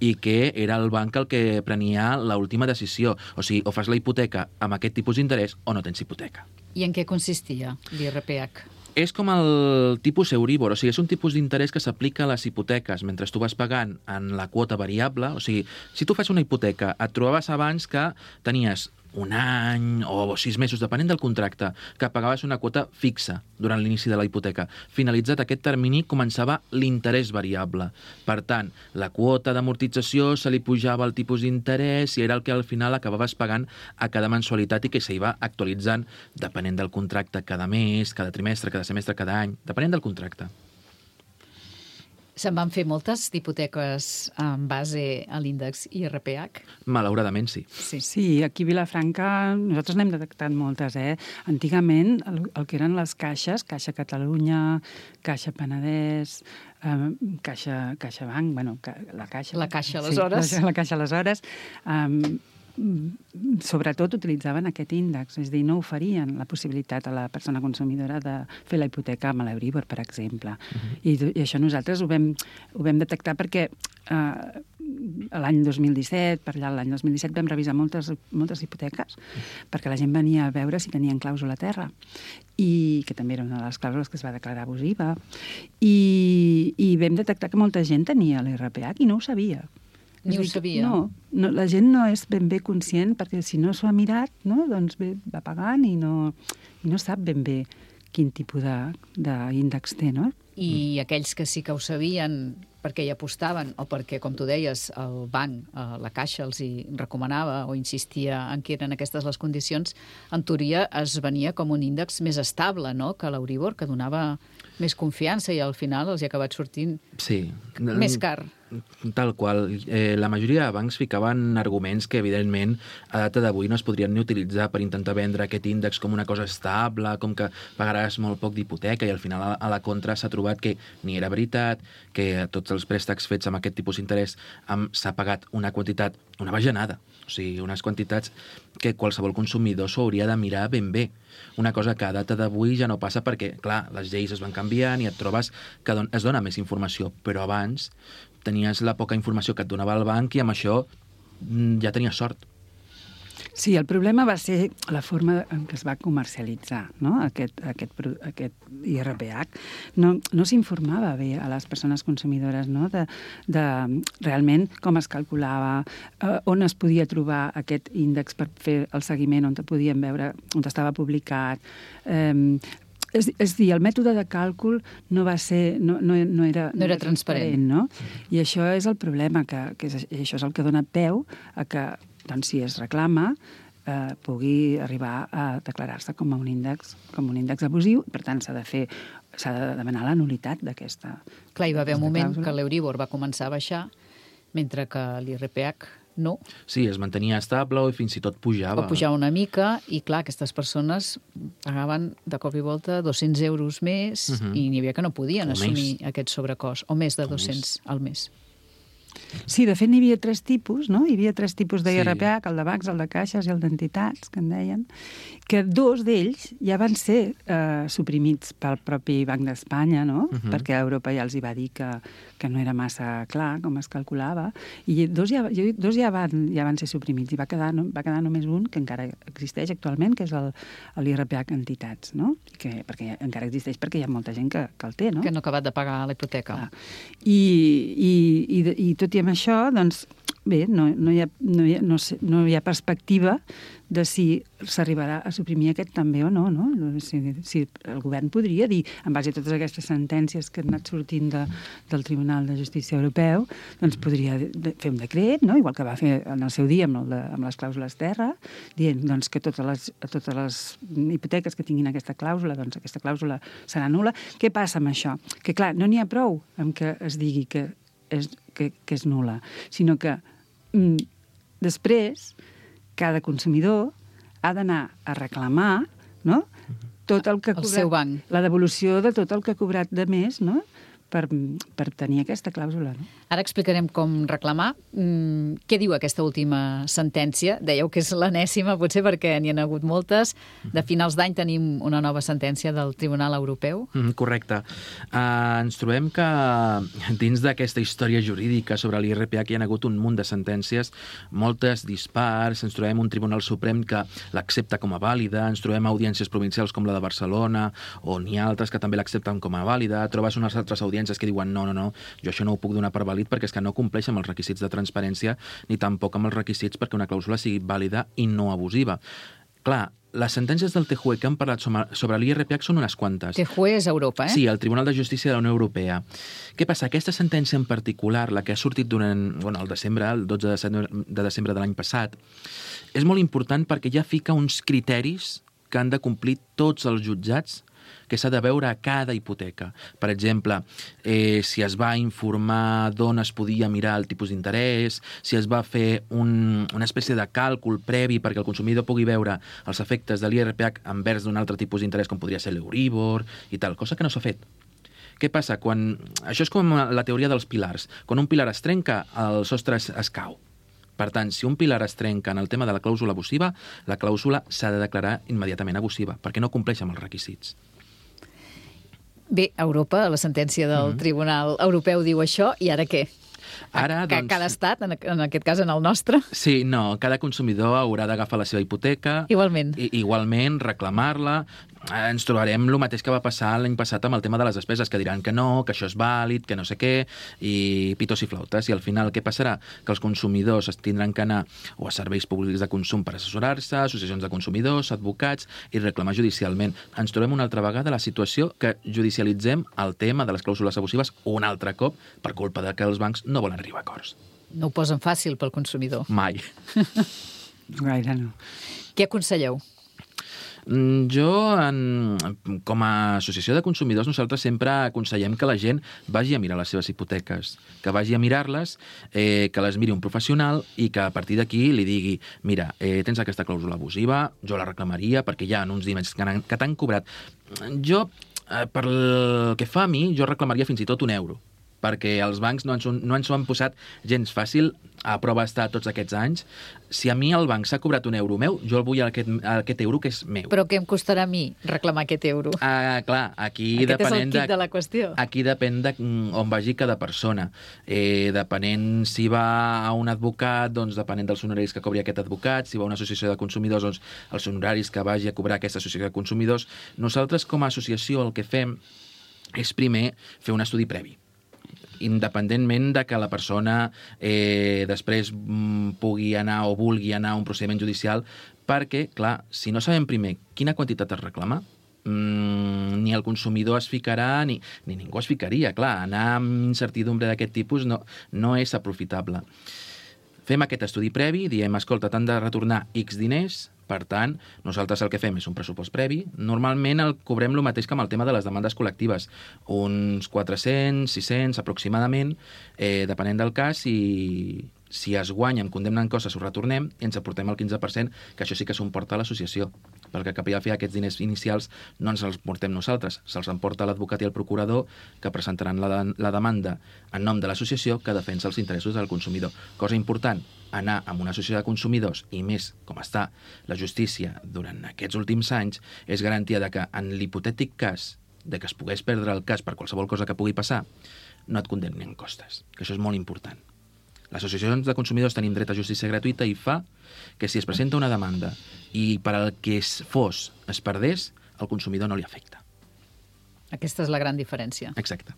i que era el banc el que prenia l'última decisió. O sigui, o fas la hipoteca amb aquest tipus d'interès o no tens hipoteca. I en què consistia l'I R P H? És com el tipus Euribor, o sigui, és un tipus d'interès que s'aplica a les hipoteques mentre tu vas pagant en la quota variable. O sigui, si tu fas una hipoteca, et trobaves abans que tenies un any o sis mesos, depenent del contracte, que pagaves una quota fixa durant l'inici de la hipoteca. Finalitzat aquest termini, començava l'interès variable. Per tant, la quota d'amortització se li pujava el tipus d'interès i era el que al final acabaves pagant a cada mensualitat i que s'hi va actualitzant depenent del contracte cada mes, cada trimestre, cada semestre, cada any, depenent del contracte. Se'n van fer moltes d'hipoteques en base a l'índex I R P H? Malauradament, sí. Sí, sí, aquí a Vilafranca nosaltres n'hem detectat moltes, eh? Antigament, el, el que eren les caixes, Caixa Catalunya, Caixa Penedès, eh, Caixa, Caixa Banc, bueno, la Caixa... La Caixa, aleshores. Sí, la, la Caixa, aleshores. Eh, sobretot utilitzaven aquest índex, és a dir, no oferien la possibilitat a la persona consumidora de fer la hipoteca amb l'Euribor, per exemple. Uh-huh. I, I això nosaltres ho vam, ho vam detectar perquè eh, l'any dos mil disset, per allà l'any dos mil disset, vam revisar moltes, moltes hipoteques perquè la gent venia a veure si tenien clàusula a terra, i que també era una de les clàusules que es va declarar abusiva, i, i vam detectar que molta gent tenia l'I R P H i no ho sabia. Ni ho sabia. No, no, la gent no és ben bé conscient, perquè si no s'ho ha mirat, no, doncs bé, va pagant i no, i no sap ben bé quin tipus d'índex té, no? I aquells que sí que ho sabien perquè hi apostaven o perquè, com tu deies, el banc, la Caixa, els hi recomanava o insistia en que eren aquestes les condicions, en teoria es venia com un índex més estable, no?, que l'Euribor, que donava més confiança i al final els hi ha acabat sortint sí. més car. Tal qual. Eh, la majoria de bancs ficaven arguments que, evidentment, a data d'avui no es podrien ni utilitzar per intentar vendre aquest índex com una cosa estable, com que pagaràs molt poc d'hipoteca, i al final a la contra s'ha trobat que ni era veritat, que tots els préstecs fets amb aquest tipus d'interès s'ha pagat una quantitat, una bajanada, o sigui, unes quantitats que qualsevol consumidor s'ho hauria de mirar ben bé. Una cosa que a data d'avui ja no passa perquè, clar, les lleis es van canviant i et trobes que es dona més informació, però abans tenies la poca informació que et donava el banc i amb això ja tenies sort. Sí, el problema va ser la forma en què es va comercialitzar, no?, aquest, aquest, aquest I R P H. No, no s'informava bé a les persones consumidores, no?, de, de realment com es calculava, eh, on es podia trobar aquest índex per fer el seguiment, on te podien veure, on estava publicat. Eh, És, és dir, el mètode de càlcul no va ser, no, no, no era, no era transparent, no? I això és el problema, que, que és, això és el que dona peu a que, doncs, si es reclama, eh, pugui arribar a declarar-se com a un índex, com un índex abusiu, per tant s'ha de fer, s'ha de demanar la nulitat d'aquesta. Clar, hi va haver un moment que l'Euribor va començar a baixar, mentre que l'I R P H no. Sí, es mantenia estable o fins i tot pujava. O pujava una mica i, clar, aquestes persones pagaven de cop i volta dos-cents euros més uh-huh. i n'hi havia que no podien o assumir més. Aquest sobrecost, o més de o dos-cents més. Al mes. Sí, de fet n'hi havia tres tipus, no? Hi havia tres tipus d'I R P H, el de bancs, el de caixes i el d'entitats, que en deien, que dos d'ells ja van ser eh, suprimits pel propi Banc d'Espanya, no? Uh-huh. Perquè Europa ja els hi va dir que, que no era massa clar com es calculava, i dos ja, dos ja, van, ja van ser suprimits, i va quedar, no, va quedar només un, que encara existeix actualment, que és l'I R P H entitats, no? Que, perquè encara existeix perquè hi ha molta gent que, que el té, no? Que no ha acabat de pagar la hipoteca. Ah. I, i, i, i tot i amb això, doncs, bé, no, no, hi ha, no, hi ha, no, sé, no hi ha perspectiva de si s'arribarà a suprimir aquest també o no, no? Si, si el govern podria dir, en base a totes aquestes sentències que han anat sortint de, del Tribunal de Justícia Europeu, doncs podria de, fer un decret, no?, igual que va fer en el seu dia amb, el de, amb les clàusules terra, dient doncs, que totes les, totes les hipoteques que tinguin aquesta clàusula, doncs aquesta clàusula serà nul·la. Què passa amb això? Que, clar, no n'hi ha prou amb que es digui que és, que, que és nul·la, sinó que mm, després cada consumidor ha d'anar a reclamar, no?, tot el que ha cobrat, el seu banc. La devolució de tot el que ha cobrat de més, no?, per, per tenir aquesta clàusula. No? Ara explicarem com reclamar. Mm, què diu aquesta última sentència? Dèieu que és l'enèsima, potser perquè n'hi ha hagut moltes. De finals d'any tenim una nova sentència del Tribunal Europeu. Mm, correcte. Uh, ens trobem que dins d'aquesta història jurídica sobre l'I R P H hi ha hagut un munt de sentències, moltes dispars, ens trobem un Tribunal Suprem que l'accepta com a vàlida, ens trobem audiències provincials com la de Barcelona, o n'hi ha altres que també l'accepten com a vàlida, trobes unes altres audiències que diuen no, no, no, jo això no ho puc donar per vàlid perquè és que no compleix amb els requisits de transparència ni tampoc amb els requisits perquè una clàusula sigui vàlida i no abusiva. Clar, les sentències del T J U E que han parlat sobre l'I R P H són unes quantes. T J U E és Europa, eh? Sí, el Tribunal de Justícia de la Unió Europea. Què passa? Aquesta sentència en particular, la que ha sortit durant bueno, el desembre, el dotze de desembre de l'any passat, és molt important perquè ja fica uns criteris que han de complir tots els jutjats que s'ha de veure a cada hipoteca. Per exemple, eh, si es va informar d'on es podia mirar el tipus d'interès, si es va fer un, una espècie de càlcul previ perquè el consumidor pugui veure els efectes de l'I R P H envers d'un altre tipus d'interès com podria ser l'Euribor i tal, cosa que no s'ha fet. Què passa? Quan... Això és com la teoria dels pilars. Quan un pilar es trenca, el sostre es, es cau. Per tant, si un pilar es trenca en el tema de la clàusula abusiva, la clàusula s'ha de declarar immediatament abusiva, perquè no compleix amb els requisits. Bé, Europa, la sentència del mm-hmm. Tribunal Europeu diu això, i ara què? Ara, que doncs... cada estat, en, en aquest cas en el nostre? Sí, no, cada consumidor haurà d'agafar la seva hipoteca... Igualment. I, igualment, reclamar-la. Ens trobarem el mateix que va passar l'any passat amb el tema de les despeses, que diran que no, que això és vàlid, que no sé què, i pitos i flautes. I al final què passarà? Que els consumidors es tindran que anar o a serveis públics de consum per assessorar-se, associacions de consumidors, advocats, i reclamar judicialment. Ens trobem una altra vegada la situació que judicialitzem el tema de les clàusules abusives un altre cop per culpa de que els bancs no volen arribar a acords. No ho posen fàcil pel consumidor. Mai. Gaire no. Què aconselleu? Jo, en, com a associació de consumidors, nosaltres sempre aconsellem que la gent vagi a mirar les seves hipoteques, que vagi a mirar-les, eh, que les miri un professional i que a partir d'aquí li digui mira, eh, tens aquesta clàusula abusiva, jo la reclamaria perquè hi ha uns diners que t'han cobrat. Jo, eh, per el que fa a mi, jo reclamaria fins i tot un euro, perquè els bancs no ens, no ens ho han posat gens fàcil, a prova està tots aquests anys. Si a mi el banc s'ha cobrat un euro meu, jo el vull aquest, aquest euro que és meu. Però què em costarà a mi reclamar aquest euro? Ah, clar, aquí Aquest depenent és el quid de, de la qüestió. Aquí depèn de on vagi cada persona. Eh, depenent si va a un advocat, doncs depenent dels honoraris que cobri aquest advocat, si va a una associació de consumidors, doncs els honoraris que vagi a cobrar aquesta associació de consumidors. Nosaltres, com a associació, el que fem és primer fer un estudi previ, independentment de que la persona eh, després mm, pugui anar o vulgui anar a un procediment judicial, perquè, clar, si no sabem primer quina quantitat es reclama, mm, ni el consumidor es ficarà, ni, ni ningú es ficaria. Clar, anar amb incertidumbre d'aquest tipus no, no és aprofitable. Fem aquest estudi previ, diem, escolta, t'han de retornar X diners, per tant, nosaltres el que fem és un pressupost previ. Normalment el cobrem el mateix que amb el tema de les demandes col·lectives, uns quatre-cents, sis-cents aproximadament, eh, depenent del cas, i si es guanya, em condemnen coses, ho retornem i ens aportem el quinze per cent, que això sí que s'ho emporta a l'associació, perquè cap i a la fi aquests diners inicials no ens els portem nosaltres, se'ls emporta l'advocat i el procurador, que presentaran la, de, la demanda en nom de l'associació que defensa els interessos del consumidor. Cosa important, anar amb una associació de consumidors, i més com està la justícia durant aquests últims anys, és garantia de que en l'hipotètic cas de que es pogués perdre el cas per qualsevol cosa que pugui passar, no et condemnin costes, que això és molt important. Les associacions de consumidors tenim dret a justícia gratuïta i fa que si es presenta una demanda i per al que es fos es perdés, el consumidor no li afecta. Aquesta és la gran diferència. Exacte.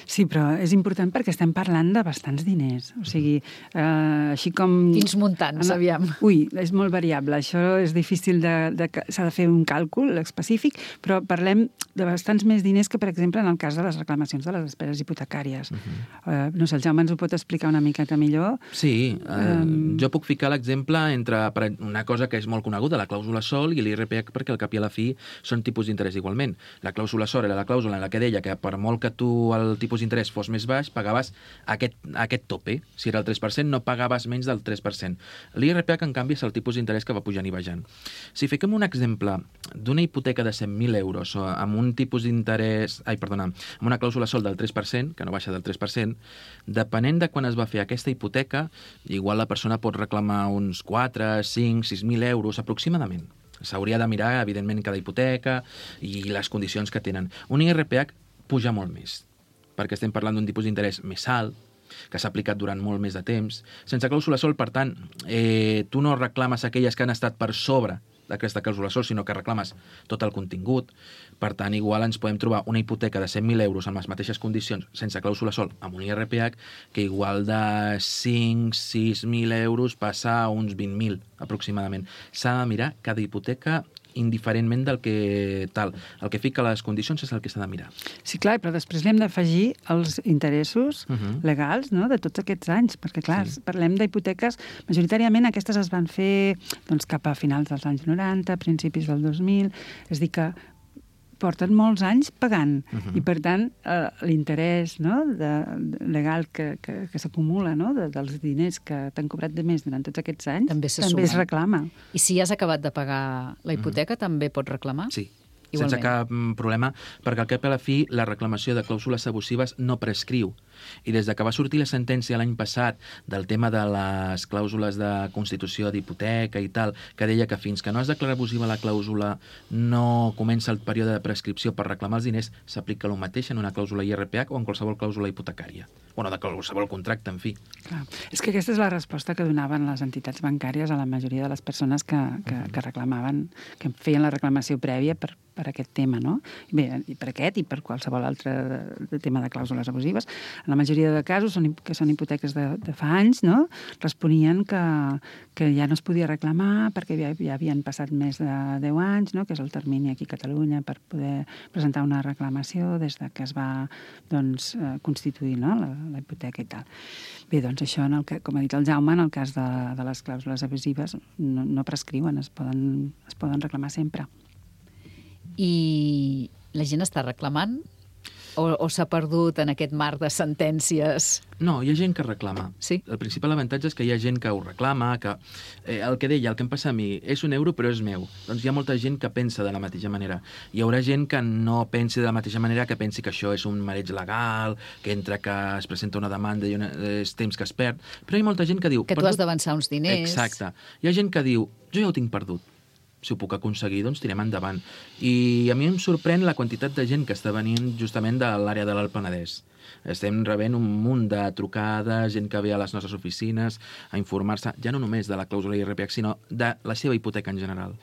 Sí, però és important perquè estem parlant de bastants diners. O sigui, eh, així com... Quins muntants, aviam? Ui, és molt variable. Això és difícil de... de s'ha de fer un càlcul específic, però parlem de bastants més diners que, per exemple, en el cas de les reclamacions de les despeses hipotecàries. Uh-huh. eh, no sé, el Jaume ens ho pot explicar una miqueta millor? Sí, eh, um... jo puc ficar l'exemple entre una cosa que és molt coneguda, la clàusula sol i l'I R P H, perquè al cap i a la fi són tipus d'interès igualment. La clàusula sol era la clàusula en la que deia que per molt que tu el tipus d'interès fos més baix, pagaves aquest, aquest tope. Si era el tres per cent, no pagaves menys del tres per cent. L'I R P H, en canvi, és el tipus d'interès que va pujant i baixant. Si fiquem un exemple d'una hipoteca de cent mil euros o amb un tipus d'interès, ai, perdona, amb una clàusula sol del tres per cent, que no baixa del tres per cent, depenent de quan es va fer aquesta hipoteca, igual la persona pot reclamar uns quatre, cinc, sis mil euros aproximadament. S'hauria de mirar, evidentment, cada hipoteca i les condicions que tenen. Un I R P H puja molt més, perquè estem parlant d'un tipus d'interès més alt, que s'ha aplicat durant molt més de temps. Sense clàusula sol, per tant, eh, tu no reclames aquelles que han estat per sobre d'aquesta clàusula sol, sinó que reclames tot el contingut. Per tant, igual ens podem trobar una hipoteca de cent mil euros amb les mateixes condicions, sense clàusula sol, amb un I R P H, que igual de cinc a sis mil euros passa a uns vint mil, aproximadament. S'ha de mirar cada hipoteca indiferentment del que tal. El que fica les condicions és el que s'ha de mirar. Sí, clar, però després li hem d'afegir els interessos uh-huh. legals, no?, de tots aquests anys, perquè, clar, sí. parlem d'hipoteques, majoritàriament aquestes es van fer doncs, cap a finals dels anys noranta, principis del dos mil, és dir que porten molts anys pagant uh-huh. i, per tant, eh, l'interès no, de, de, legal que, que, que s'acumula no, de, dels diners que t'han cobrat de més durant tots aquests anys també, també es reclama. I si has acabat de pagar la hipoteca, uh-huh. també pots reclamar? Sí. Igualment. Sense cap problema, perquè al cap i a la fi la reclamació de clàusules abusives no prescriu. I des de que va sortir la sentència l'any passat del tema de les clàusules de constitució d'hipoteca i tal, que deia que fins que no es declara abusiva la clàusula no comença el període de prescripció per reclamar els diners, s'aplica el mateix en una clàusula I R P H o en qualsevol clàusula hipotecària. Bueno, de qualsevol contracte, en fi. Clar. És que aquesta és la resposta que donaven les entitats bancàries a la majoria de les persones que, que, que reclamaven, que feien la reclamació prèvia per, per aquest tema, no? Bé, i per aquest i per qualsevol altre de, de tema de clàusules abusives. En la majoria de casos, són, que són hipoteques de, de fa anys, no?, responien que, que ja no es podia reclamar perquè ja, ja havien passat més de deu anys, no?, que és el termini aquí a Catalunya per poder presentar una reclamació des de que es va doncs, constituir no?, la, la hipoteca i tal. Bé, doncs això, en el que, com ha dit el Jaume, en el cas de, de les clàusules abusives no, no prescriuen, es poden, es poden reclamar sempre. I la gent està reclamant? O, o s'ha perdut en aquest mar de sentències? No, hi ha gent que reclama. Sí? El principal avantatge és que hi ha gent que ho reclama, que eh, el que deia, el que em passa a mi, és un euro però és meu. Doncs hi ha molta gent que pensa de la mateixa manera. Hi haurà gent que no pensi de la mateixa manera, que pensi que això és un mareig legal, que entre que es presenta una demanda i una, és temps que es perd, però hi ha molta gent que diu... Que tu perdut... has d'avançar uns diners. Exacte. Hi ha gent que diu, jo ja ho tinc perdut. Si ho puc aconseguir, doncs tirem endavant. I a mi em sorprèn la quantitat de gent que està venint justament de l'àrea de l'Alt Penedès. Estem rebent un munt de trucades, gent que ve a les nostres oficines a informar-se, ja no només de la clàusula I R P H, sinó de la seva hipoteca en general.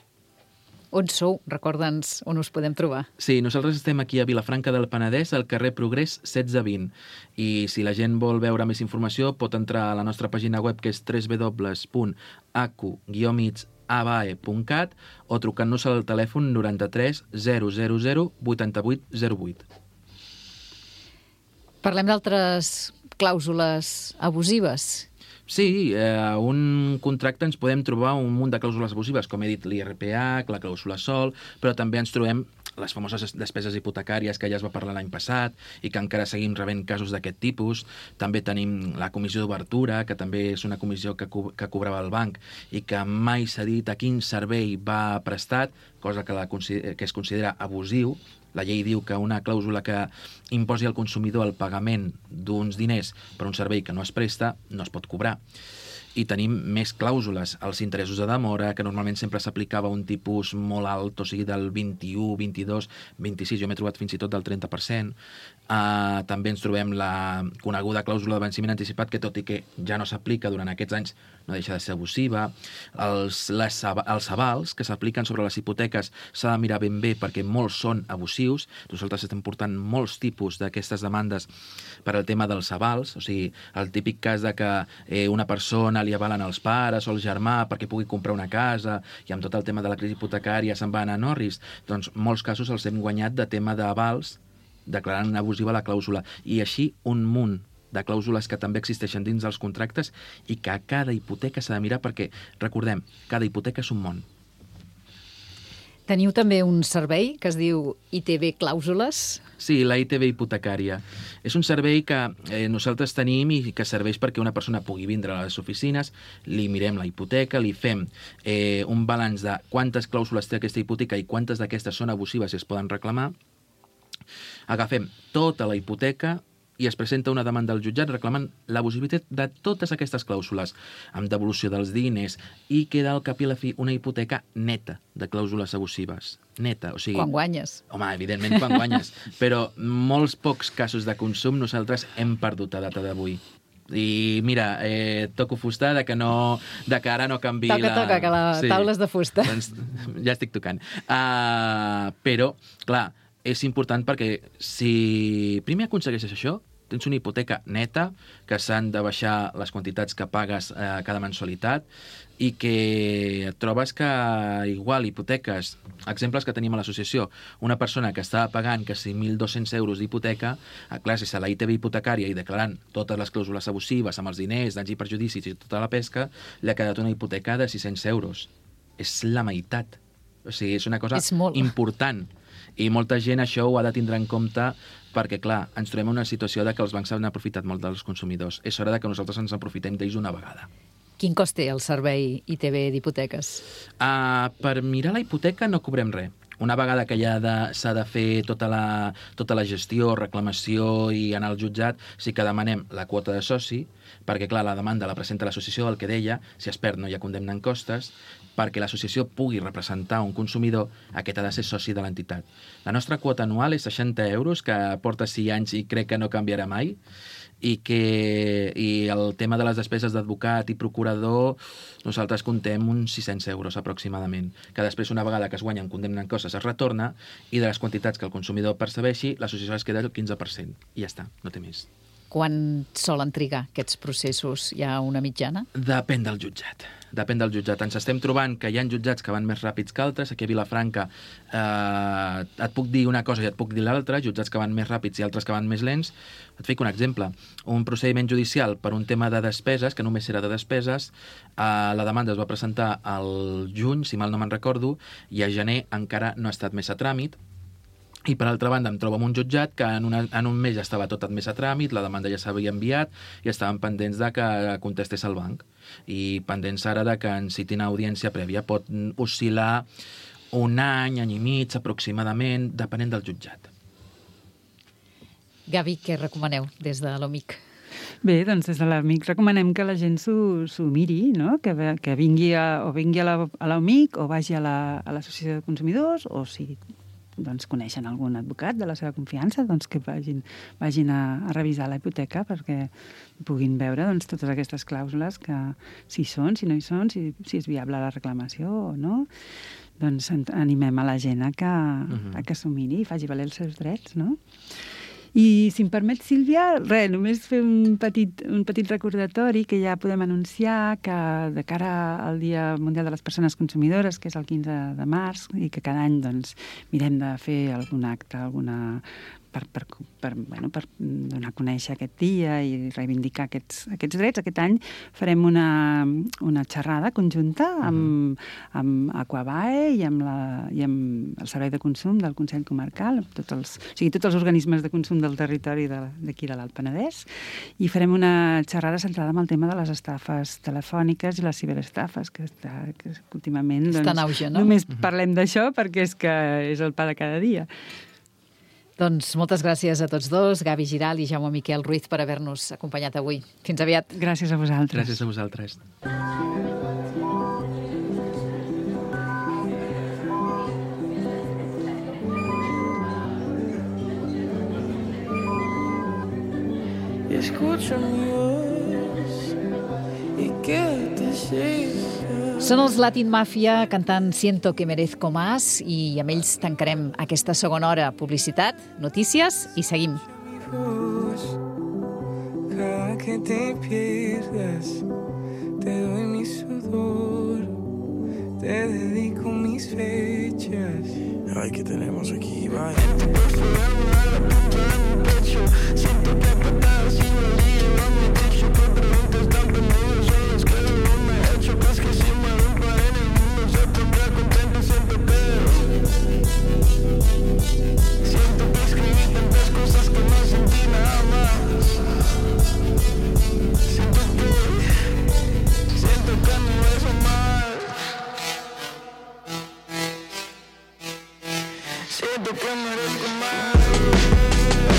On sou? Recorda'ns on us podem trobar. Sí, nosaltres estem aquí a Vilafranca del Penedès, al carrer Progrés setze vint. I si la gent vol veure més informació, pot entrar a la nostra pàgina web, que és w w w punt a c u guió mig abae punt cat o trucant-nos al telèfon noranta-tres zero zero zero vuitanta-vuit zero vuit. Parlem d'altres clàusules abusives. Sí, eh, un contracte ens podem trobar un munt de clàusules abusives, com he dit, l'I R P H, la clàusula sol, però també ens trobem les famoses despeses hipotecàries que ja es va parlar l'any passat i que encara seguim rebent casos d'aquest tipus. També tenim la comissió d'obertura, que també és una comissió que, co que cobrava el banc i que mai s'ha dit a quin servei va prestat, cosa que, la, que es considera abusiu. La llei diu que una clàusula que imposi al consumidor el pagament d'uns diners per un servei que no es presta no es pot cobrar. I tenim més clàusules, els interessos de demora, que normalment sempre s'aplicava un tipus molt alt, o sigui, del vint-i-u, vint-i-dos, vint-i-sis, jo m'he trobat fins i tot del trenta per cent. Uh, també ens trobem la coneguda clàusula de venciment anticipat, que tot i que ja no s'aplica durant aquests anys, no deixa de ser abusiva. Els, les, els avals que s'apliquen sobre les hipoteques s'ha de mirar ben bé perquè molts són abusius. Nosaltres estem portant molts tipus d'aquestes demandes per al tema dels avals, o sigui, el típic cas de que eh, una persona li avalen els pares o el germà perquè pugui comprar una casa i amb tot el tema de la crisi hipotecària se'n va anar a Norris. Doncs molts casos els hem guanyat de tema d'avals declarant abusiva la clàusula. I així un munt de clàusules que també existeixen dins dels contractes i que a cada hipoteca s'ha de mirar perquè, recordem, cada hipoteca és un món. Teniu també un servei que es diu I T B Clàusules? Sí, la I T B hipotecària. És un servei que eh, nosaltres tenim i que serveix perquè una persona pugui vindre a les oficines, li mirem la hipoteca, li fem eh, un balanç de quantes clàusules té aquesta hipoteca i quantes d'aquestes són abusives i es poden reclamar. Agafem tota la hipoteca i es presenta una demanda al jutjat reclamant l'abusivitat de totes aquestes clàusules, amb devolució dels diners, i queda al cap i a la fi una hipoteca neta de clàusules abusives. Neta, o sigui... Quan guanyes. Home, evidentment quan guanyes, però molts pocs casos de consum nosaltres hem perdut a data d'avui. I mira, eh, toco fusta de que, no, de que ara no canvi toca, la... Toca, que la sí. taula és de fusta. Doncs ja estic tocant. Uh, però, clar, és important perquè si primer aconsegueixes això, tens una hipoteca neta, que s'han de baixar les quantitats que pagues eh, cada mensualitat i que et trobes que igual hipoteques, exemples que tenim a l'associació, una persona que estava pagant que cinc mil dos-cents euros d'hipoteca, a clar, si se la I T B hipotecària i declarant totes les clàusules abusives amb els diners, danys i perjudicis i tota la pesca, li ha quedat una hipoteca de sis-cents euros. És la meitat. O sigui, és una cosa és molt important. I molta gent això ho ha de tindre en compte perquè, clar, ens trobem en una situació de que els bancs han aprofitat molt dels consumidors. És hora de que nosaltres ens aprofitem d'ells una vegada. Quin cost té el servei I T B d'hipoteques? Uh, per mirar la hipoteca no cobrem res. Una vegada que ja s'ha de, de fer tota la, tota la gestió, reclamació i anar al jutjat, sí que demanem la quota de soci, perquè, clar, la demanda la presenta l'associació, el que deia, si es perd no hi ha condemna en costes, perquè l'associació pugui representar un consumidor, aquest ha de ser soci de l'entitat. La nostra quota anual és seixanta euros, que porta sis anys i crec que no canviarà mai, i que i el tema de les despeses d'advocat i procurador, nosaltres contem uns sis-cents euros aproximadament, que després, una vegada que es guanyen condemna en costes, es retorna, i de les quantitats que el consumidor percebeixi, l'associació es queda el quinze per cent. I ja està, no té més. Quan solen trigar aquests processos? Hi ha una mitjana? Depèn del jutjat. Depèn del jutjat. Ens estem trobant que hi ha jutjats que van més ràpids que altres. Aquí a Vilafranca eh, et puc dir una cosa i et puc dir l'altra, jutjats que van més ràpids i altres que van més lents. Et fico un exemple. Un procediment judicial per un tema de despeses, que només era de despeses, eh, la demanda es va presentar al juny, si mal no me'n recordo, i a gener encara no ha estat més a tràmit. I, per altra banda, em trobo amb un jutjat que en, una, en un mes ja estava tot admès a tràmit, la demanda ja s'havia enviat i estaven pendents de que contestés el banc. I pendents ara de que en citin audiència prèvia. Pot oscil·lar un any, any i mig, aproximadament, depenent del jutjat. Gavi, què recomaneu des de l'OMIC? Bé, doncs des de l'Amic recomanem que la gent s'ho miri, no? que, que vingui a, o vingui a l'OMIC o vagi a l'Associació la, de Consumidors, o si doncs, coneixen algun advocat de la seva confiança, doncs que vagin, vagin a, a revisar la hipoteca perquè puguin veure doncs, totes aquestes clàusules, que si hi són, si no hi són, si, si és viable la reclamació o no. Doncs animem a la gent a que, uh-huh. a que s'ho miri i faci valer els seus drets, no? I, si em permet, Sílvia, res, només fer un petit, un petit recordatori que ja podem anunciar que de cara al Dia Mundial de les Persones Consumidores, que és el quinze de març, i que cada any doncs, mirem de fer algun acte, alguna... Per, per, per, bueno, per donar a conèixer aquest dia i reivindicar aquests, aquests drets. Aquest any farem una, una xerrada conjunta amb, amb Aquabae i amb, la, i amb el Servei de Consum del Consell Comarcal, tots els, o sigui, tots els organismes de consum del territori d'aquí de l'Alt Penedès, i farem una xerrada centrada en el tema de les estafes telefòniques i les ciberestafes, que, està, que últimament doncs, està en auge, no? Només parlem d'això perquè és que és el pa de cada dia. Doncs moltes gràcies a tots dos, Gavi Giral i Jaume Miquel Ruiz, per haver-nos acompanyat avui. Fins aviat. Gràcies a vosaltres. Gràcies a vosaltres. Y escucho mi voz y que te siga. Són els Latin Mafia cantant Siento que merezco más, i amb ells tancarem aquesta segona hora. Publicitat, notícies i seguim. Cada que te pierdas, te doy mi sudor, te dedico mis fechas. Ay, ¿qué tenemos aquí? Vaya. Siento que apretar sin el día, no me dicho que preguntas tan pendientes, son las que no me he hecho, pues que si me rompa en el mundo se pondrá contento y siempre pero Siento que merezco más.